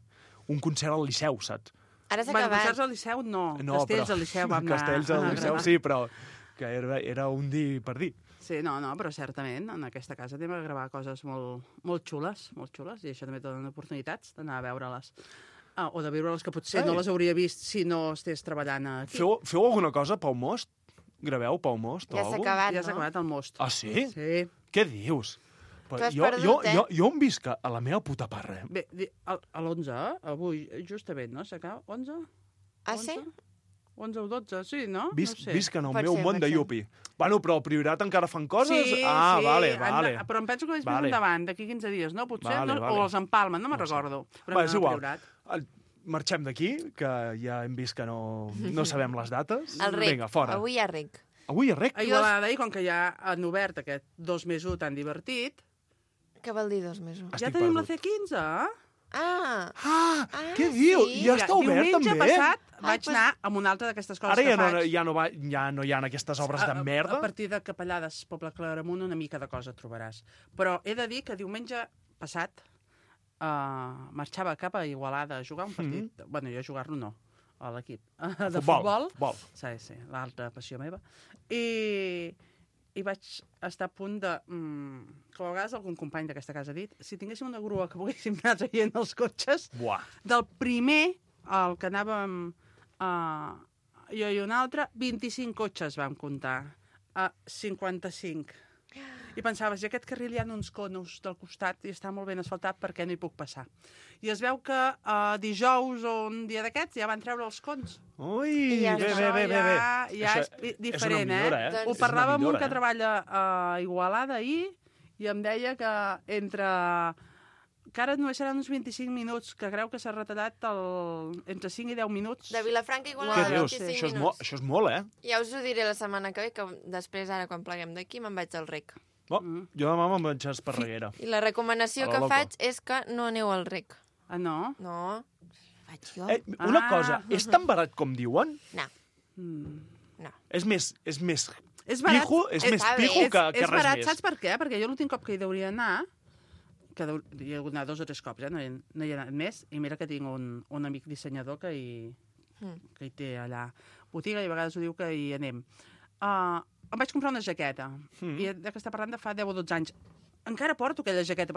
un concert al Liceu, saps? Ara s'ha Bueno, acabat. concerts al Liceu, no. No, Castells però- al Liceu vam anar... Castells al a Liceu, gravar. sí, però que era un dir per dir. Sí, no, però certament, en aquesta casa anem a gravar coses molt xules, i això també et donen oportunitats d'anar a veure-les. O de veure-les que potser no les hauria vist si no estigués treballant aquí. Feu alguna cosa pel Most? Graveu pel Most? o Ja s'ha alguna acabat, Ja s'ha no? acabat el Most. Ah, sí? Sí. Què dius? Tu has perdut, Jo em visc a la meva puta parra. Bé, a l'11, avui, justament, no? S'acaba? 11? Ah, sí? 11 o 12, sí, no? Visc, no sé. visc en el meu món de Yupi. Bueno, però al Priorat encara fan coses? Sí, ah, sí, vale. però em penso que és més Vale. endavant, d'aquí 15 dies, no? Potser, Vale, no? vale. O els empalmen, no me'n recordo. Però Va, anem és al igual. Priorat. Marxem d'aquí, que ja hem vist que no sabem les dates. El rec. Vinga, fora. Avui hi ha rec. Avui hi ha rec? A Igualada, i com que ja han obert aquest 2 més 1 tan divertit, Què vol dir 2 mesos? ja tenim la C15. Ah! Què diu? sí. Ja està obert, Diumenge també? passat vaig anar amb una altra d'aquestes coses Ara que faig. ja no hi ha aquestes obres de merda? A partir de Capellades, Poble Claramunt, una mica de cosa trobaràs. Però he de dir que diumenge passat marxava cap a Igualada a jugar un partit. Bueno, jo a jugar-lo no, a l'equip. De futbol. Sí, sí, l'altra passió meva. I vaig estar a punt de... com a vegades algun company d'aquesta casa ha dit, si tinguéssim una grua que poguéssim anar traient els cotxes, del primer, el que anàvem jo i un altre, 25 cotxes vam comptar, a 55. I pensaves, i aquest carril hi ha uns conos del costat i està molt ben asfaltat, per què no hi puc passar? I es veu que dijous o un dia d'aquests ja van treure els cons. Ui, I bé. ja és diferent, una millora, eh? Ho És parlava una amb un millora, que treballa a Igualada ahir i em deia que que ara només seran uns 25 minuts, que creu que s'ha retallat entre 5 i 10 minuts. De Vilafranca Què Igualada, dius? 25 minuts. Això és molt, eh? Ja us ho diré la setmana que ve, que després, ara, quan pleguem d'aquí, me'n vaig al rec. Jo demà me'n vaig a Esparreguera. I la recomanació A la que loco. faig és que no aneu al rec. Ah, no? No, faig jo. Una cosa, és tan barat com diuen? No. No. És més És barat, pijo, és més pijo que és res barat, més. saps per què? Perquè jo l'últim cop que hi hauria d'anar, que hi ha d'anar 2 o 3 cops, no hi ha anat més, i mira que tinc un amic dissenyador que hi té allà botiga i a vegades ho diu que hi anem. Em vaig comprar una jaqueta, i que està parlant de fa 10 o 12 anys. Encara porto aquella jaqueta,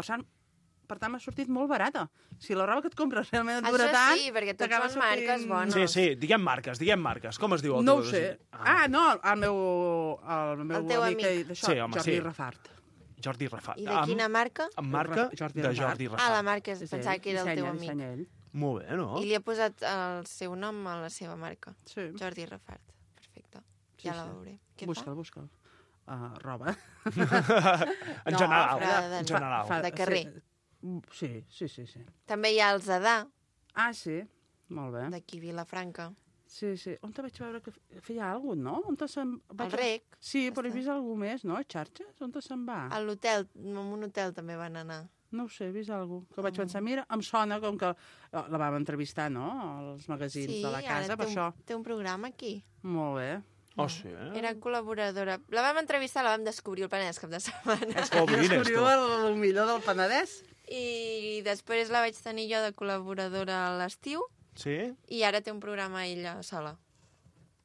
per tant m'ha sortit molt barata. Si la roba que et compres realment et dura Això tant... sí, perquè tots t'acaba són marques bones. Sí, diguem marques. Com es diu el No teu? ho sé. No, el meu teu amic amic. d'això, Sí, home, Jordi sí. Rafart. Jordi Rafart. I de quina marca? Amb marca Jordi de Rafart. Jordi Rafart. Ah, la marca, pensava que era el teu amic. Dissenya ell. Molt bé, no? I li ha posat el seu nom a la seva marca. Sí. Jordi Rafart. Perfecte. Sí, Ja la sí. veuré. Què Busca'l. Roba. En general. De carrer. Sí. També hi ha el Zadà. Ah, sí? Molt bé. D'aquí Vilafranca. Sí. On te vaig veure que feia alguna cosa, no? El Rec. Sí, però he vist alguna més, no? Xarxes? On se'n va? A l'hotel, en un hotel també van anar. No ho sé, he vist alguna cosa. Que vaig pensar, mira, em sona com que la vam entrevistar, no? Als magazins de la casa, per això. Té un programa aquí. Molt bé. Oh, sí, Era col·laboradora. La vam entrevistar, la vam descobrir el Penedès cap de setmana. És que aquí descobriu el millor del Penedès. I després la vaig tenir jo de col·laboradora a l'estiu. Sí? I ara té un programa ella sola.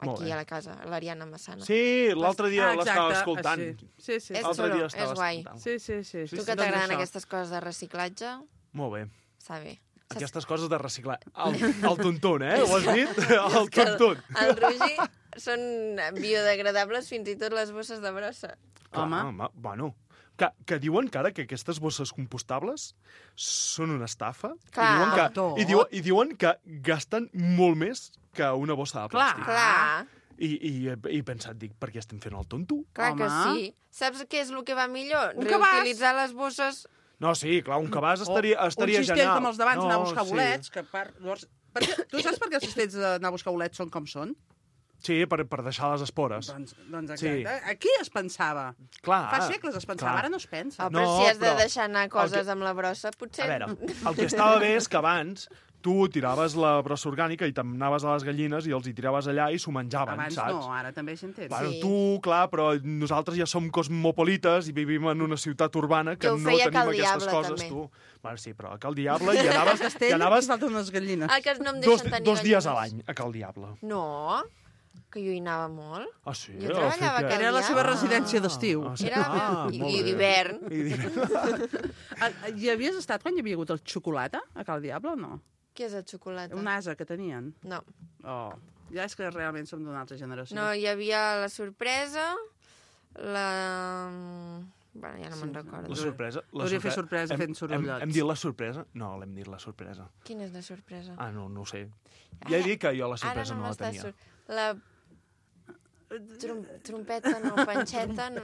Aquí a la casa, l'Ariana Massana. Sí, l'altre dia l'estava escoltant. Sí. És xulo, és guai. Sí. Tu que t'agraden aquestes coses de reciclatge... Molt bé. Està bé. Aquestes coses de reciclar. El tuntun, Ho has dit? El tuntun. El Rogi són biodegradables fins i tot les bosses de brossa. Home, bueno... Que diuen que ara que aquestes bosses compostables són una estafa. Clar. I diuen que gasten molt més que una bossa de plàstic. Clar. I he pensat, per què estem fent el tonto? Clar que sí. Saps què és el que va millor? Un Reutilitzar les bosses... No, sí, clar, un cabàs estaria genial. Un cistell com els d'abans, anar a buscar bolets. Tu saps per què els cistells d'anar a buscar bolets són com són? Sí, per deixar les espores. Doncs exacte. Sí. Aquí es pensava. Clar. Fa segles es pensava, ara no es pensa. Però si has de deixar anar coses amb la brossa, potser... A veure, el que estava bé és que abans tu tiraves la brossa orgànica i t'anaves a les gallines i els hi tiraves allà i s'ho menjaven, abans saps? No, ara també hi entens. Bueno, tu, clar, però nosaltres ja som cosmopolites i vivim en una ciutat urbana que no tenim aquestes coses, també. tu. Bueno, sí, però a Cal Diable hi anaves... I falten unes gallines. Ah, que no em deixen tenir dos dies a l'any a Cal Diable. No, que jo hi anava molt. Ah, sí? Jo treballava a Cal Era la seva residència d'estiu. I d'hivern. Hi havies estat quan hi havia hagut el xocolata a Cal Diable o no? Què és el xocolata? Un ase que tenien. No. Oh, ja és que realment som d'una altra generació. No, hi havia la sorpresa, la... Bueno, ja no me'n recordo. La sorpresa? Hauria fer sorpresa fent sorollots. Hem dit la sorpresa? No, l'hem dit la sorpresa. Quina és la sorpresa? Ah, no ho sé. Ja he dit que jo la sorpresa no la tenia. La trompeta, no, panxeta... No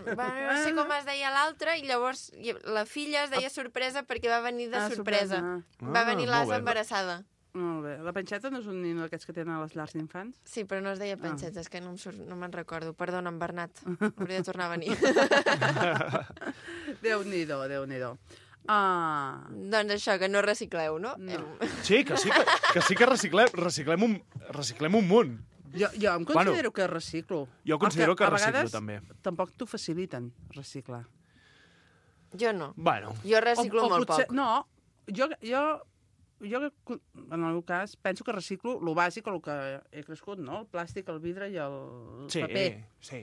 sé com es deia l'altra, i llavors la filla es deia sorpresa perquè va venir de sorpresa. Va venir l'asa embarassada. Molt bé. La panxeta no és un nino d'aquests que tenen a les llars d'infants? Sí, però no es deia panxeta, és que no me'n recordo. Perdona'm, Bernat, hauria de tornar a venir. Déu-n'hi-do, Déu-n'hi-do. Doncs això, que no recicleu, no? Sí que reciclem un munt. Jo em considero que reciclo. Jo considero que reciclo, també. A vegades tampoc t'ho faciliten, reciclar. Jo no. Bueno. Jo reciclo molt poc. No, jo, en el meu cas, penso que reciclo el bàsic, el que he crescut, no? El plàstic, el vidre i el paper. Sí.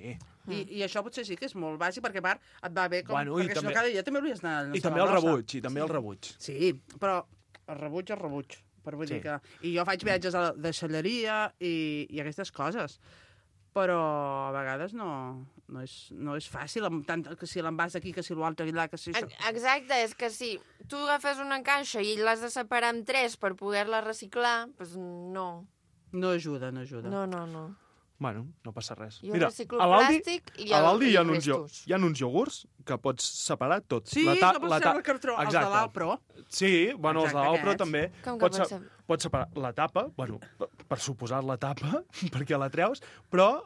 I això potser sí que és molt bàsic, perquè a part et va bé, perquè si no cada dia també hauries d'anar... I també el rebuig, Sí, però el rebuig. Per vull dir que... I jo faig viatges de deixalleria i aquestes coses. Però a vegades no és fàcil, tant que si l'envàs aquí, que si l'altre allà, que si... Exacte, és que si tu agafes una caixa i l'has de separar en 3 per poder-la reciclar, doncs no. No ajuda. No. Bueno, no passa res. Jo reciclo plàstic i restos. Hi ha uns iogurts que pots separar tot. Sí, que pots treure el cartró. Els de l'Alpro. Sí, bueno, els de l'Alpro també. Com que Pots separar la tapa, bueno, per suposar la tapa, perquè la treus, però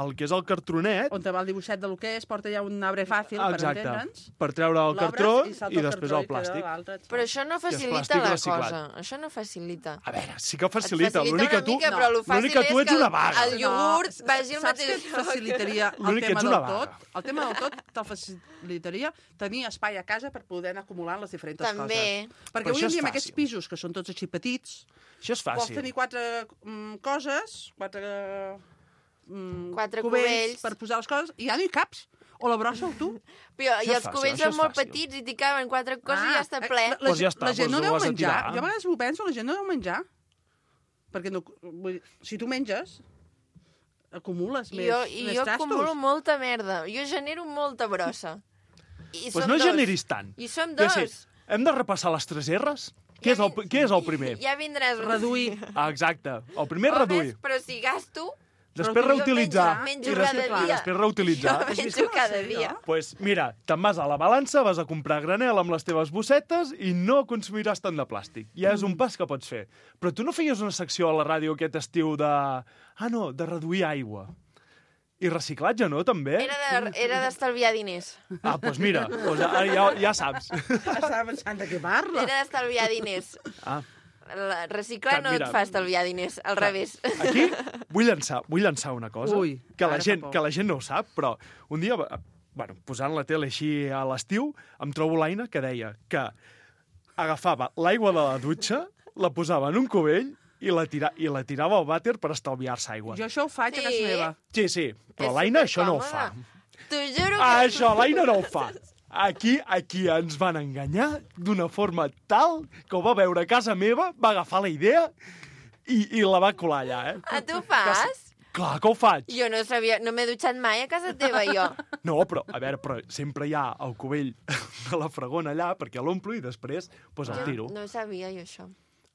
el que és el cartronet... On te va el dibuixet de lo que és, porta ja un arbre fàcil, per entendre'ns. Per treure el cartró i després el plàstic. Però això no facilita la cosa. Això no facilita. A veure, sí que facilita. L'únic que tu ets una vaga. El iogurt vagi al mateix lloc. Saps què facilitaria el tema del tot? El tema del tot te'l facilitaria tenir espai a casa per poder anar acumulant les diferents coses. També. Perquè avui en dia amb aquests pisos, que són tots així petits, això és fàcil. Vols tenir 4 coses, 4 cubells per posar les coses, i ja no hi caps. O la brossa o tu. I els cubells són molt petits i t'hi caben 4 coses i ja està ple. La gent no deu menjar. Jo a vegades ho penso, la gent no deu menjar. Perquè si tu menges, acumules més trastos. Jo acumulo molta merda. Jo genero molta brossa. Doncs no generis tant. I som 2. Hem de repassar les 3 R's? Què és el primer? Ja vindràs. Reduir. Exacte. El primer, reduir. Però si gasto... després reutilitzar. Menjo cada dia. Després reutilitzar. Jo menjo cada dia. Pues mira, te'n vas a la balança, vas a comprar granel amb les teves bossetes i no consumiràs tant de plàstic. Ja és un pas que pots fer. Però tu no feies una secció a la ràdio aquest estiu de... de reduir aigua. I reciclatge, no, també? Era d'estalviar diners. Doncs mira, ja saps. Estava pensant de què parla. Era d'estalviar diners. Reciclar no et fa estalviar diners, al revés. Aquí vull llançar una cosa que la gent no ho sap, però un dia, posant la tele així a l'estiu, em trobo l'Aina que deia que agafava l'aigua de la dutxa, la posava en un cubell i la tirava al vàter per estalviar-se aigua. Jo això ho faig a casa meva. Sí, però l'Aina això no ho fa. T'ho juro que... Això l'Aina no ho fa. Aquí ens van enganyar d'una forma tal que ho va veure a casa meva, va agafar la idea i la va colar allà, Tu ho fas? Clar que ho faig. Jo no sabia, no m'he dutxat mai a casa teva, jo. No, però sempre hi ha el cubell de la fregona allà perquè l'omplo i després el tiro. No sabia jo això.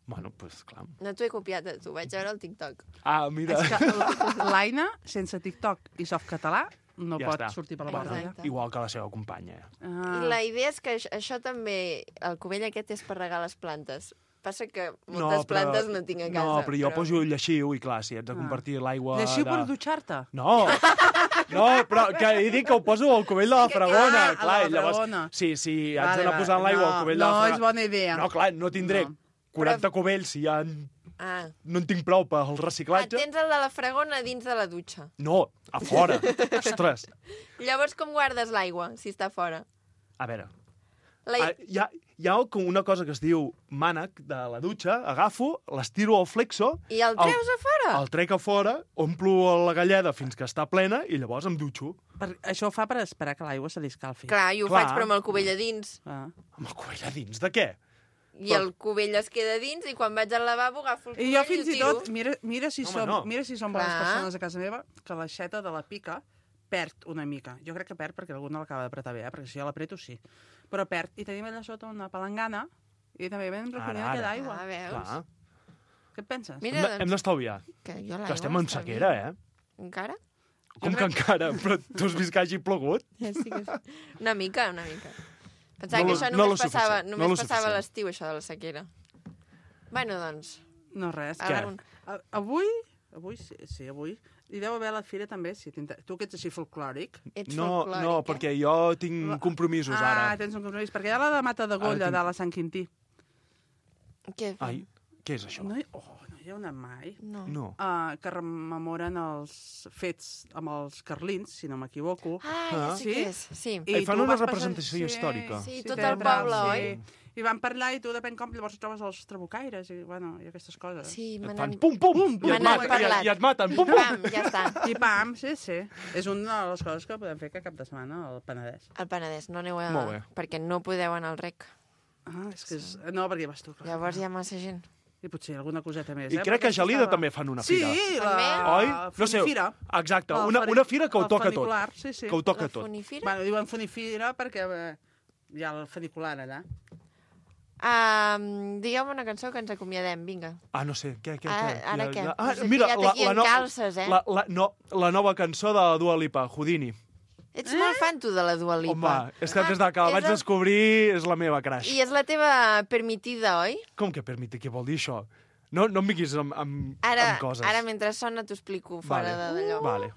Bueno, doncs clar. No t'ho he copiat, t'ho vaig veure al TikTok. Mira. És que l'Aina, sense TikTok i softcatalà, no pot sortir per la porta. Igual que la seva companya. I la idea és que això també, el cubell aquest és per regar les plantes. Passa que moltes plantes no tinc a casa. No, però jo poso lleixiu i clar, si ets de compartir l'aigua... Lleixiu per dutxar-te? No, però que he dit que ho poso al cubell de la fregona. Clar, a la fregona. Sí, haig d'anar posant l'aigua al cubell de la fregona. No és bona idea. No, clar, no tindré 40 cubells si ja... No en tinc prou pel reciclatge. Tens el de la fregona dins de la dutxa. No, a fora. Ostres. Llavors com guardes l'aigua, si està fora? A veure, hi ha una cosa que es diu mànec de la dutxa, agafo, l'estiro al flexo... I el treus a fora? El trec a fora, omplo la galleda fins que està plena i llavors em dutxo. Això ho fa per esperar que l'aigua se li escalfi. Clar, jo ho faig però amb el cubell a dins. Amb el cubell a dins? De què? I el cubell es queda dins i quan vaig al lavabo agafo el cubell i jo fins i tot, mira si som bones Clar. persones a casa meva, que l'aixeta de la pica perd una mica. Jo crec que perd perquè algú no l'acaba d'apretar bé, perquè si jo l'apreto sí. Però perd. I tenim allà sota una palangana i també vam recollint aquella aigua. Veus? Què et penses? Mira, Hem d'estalviar. Que estem en sequera, Encara? Com que encara? Però tu has vist que hagi plogut? Ja sí que sí. Una mica. Pensava que això només passava a l'estiu, això de la sequera. Bueno, doncs... No, res. Avui, hi deu haver a la fira també. Tu que ets així folclòric. No, perquè jo tinc compromisos ara. Tens un compromís, perquè hi ha la de Mata de Golla, de la Sant Quintí. Què? Què és això? No hi ha una mai. No. Que rememoren els fets amb els carlins, si no m'equivoco. Ja sé què és, sí. I fan una representació històrica. Sí, tot el poble, oi? I van parlar i tu depèn com, llavors trobes els trabucaires i aquestes coses. Sí, fan pum-pum, i et maten, pum-pum. Ja està. I pam, sí. És una de les coses que podem fer que cap de setmana al Penedès. Al Penedès, no aneu perquè no podeu anar al rec. És que no, perquè vas tu. Llavors hi ha massa gent. I potser alguna coseta més. I crec que a Gelida també fan una fira. Sí, la Funifira. Exacte, una fira que ho toca tot. Que ho toca tot. Bueno, diuen Funifira perquè hi ha el funicular allà. Digue'm una cançó que ens acomiadem, vinga. No sé, què? Ara què? Mira, aquí en calces, la nova cançó de la Dua Lipa, Houdini. Ets molt fan, tu, de la Dua Lipa. Home, és que des que la vaig descobrir és la meva crush. I és la teva permitida, oi? Com que permitida? Què vol dir això? No em vinguis amb coses. Ara, mentre sona, t'ho explico fora d'allò. Vale.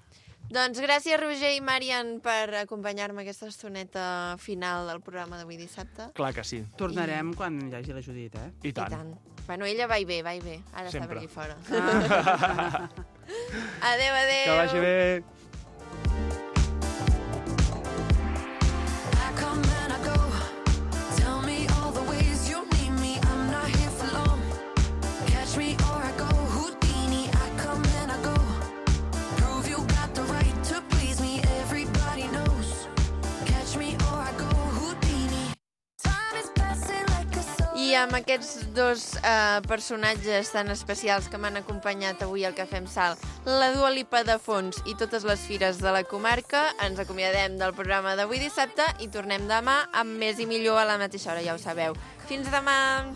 Doncs gràcies, Roger i Marian, per acompanyar-me aquesta estoneta final del programa d'avui dissabte. Clar que sí. Tornarem quan hi hagi la Judit, I tant. Bueno, ella va i ve. Ara està per aquí fora. Adéu. Que vagi bé. I amb aquests dos personatges tan especials que m'han acompanyat avui al Cafè amb Sal, la Dua Lipa de fons i totes les fires de la comarca, ens acomiadem del programa d'avui dissabte i tornem demà amb més i millor a la mateixa hora, ja ho sabeu. Fins demà!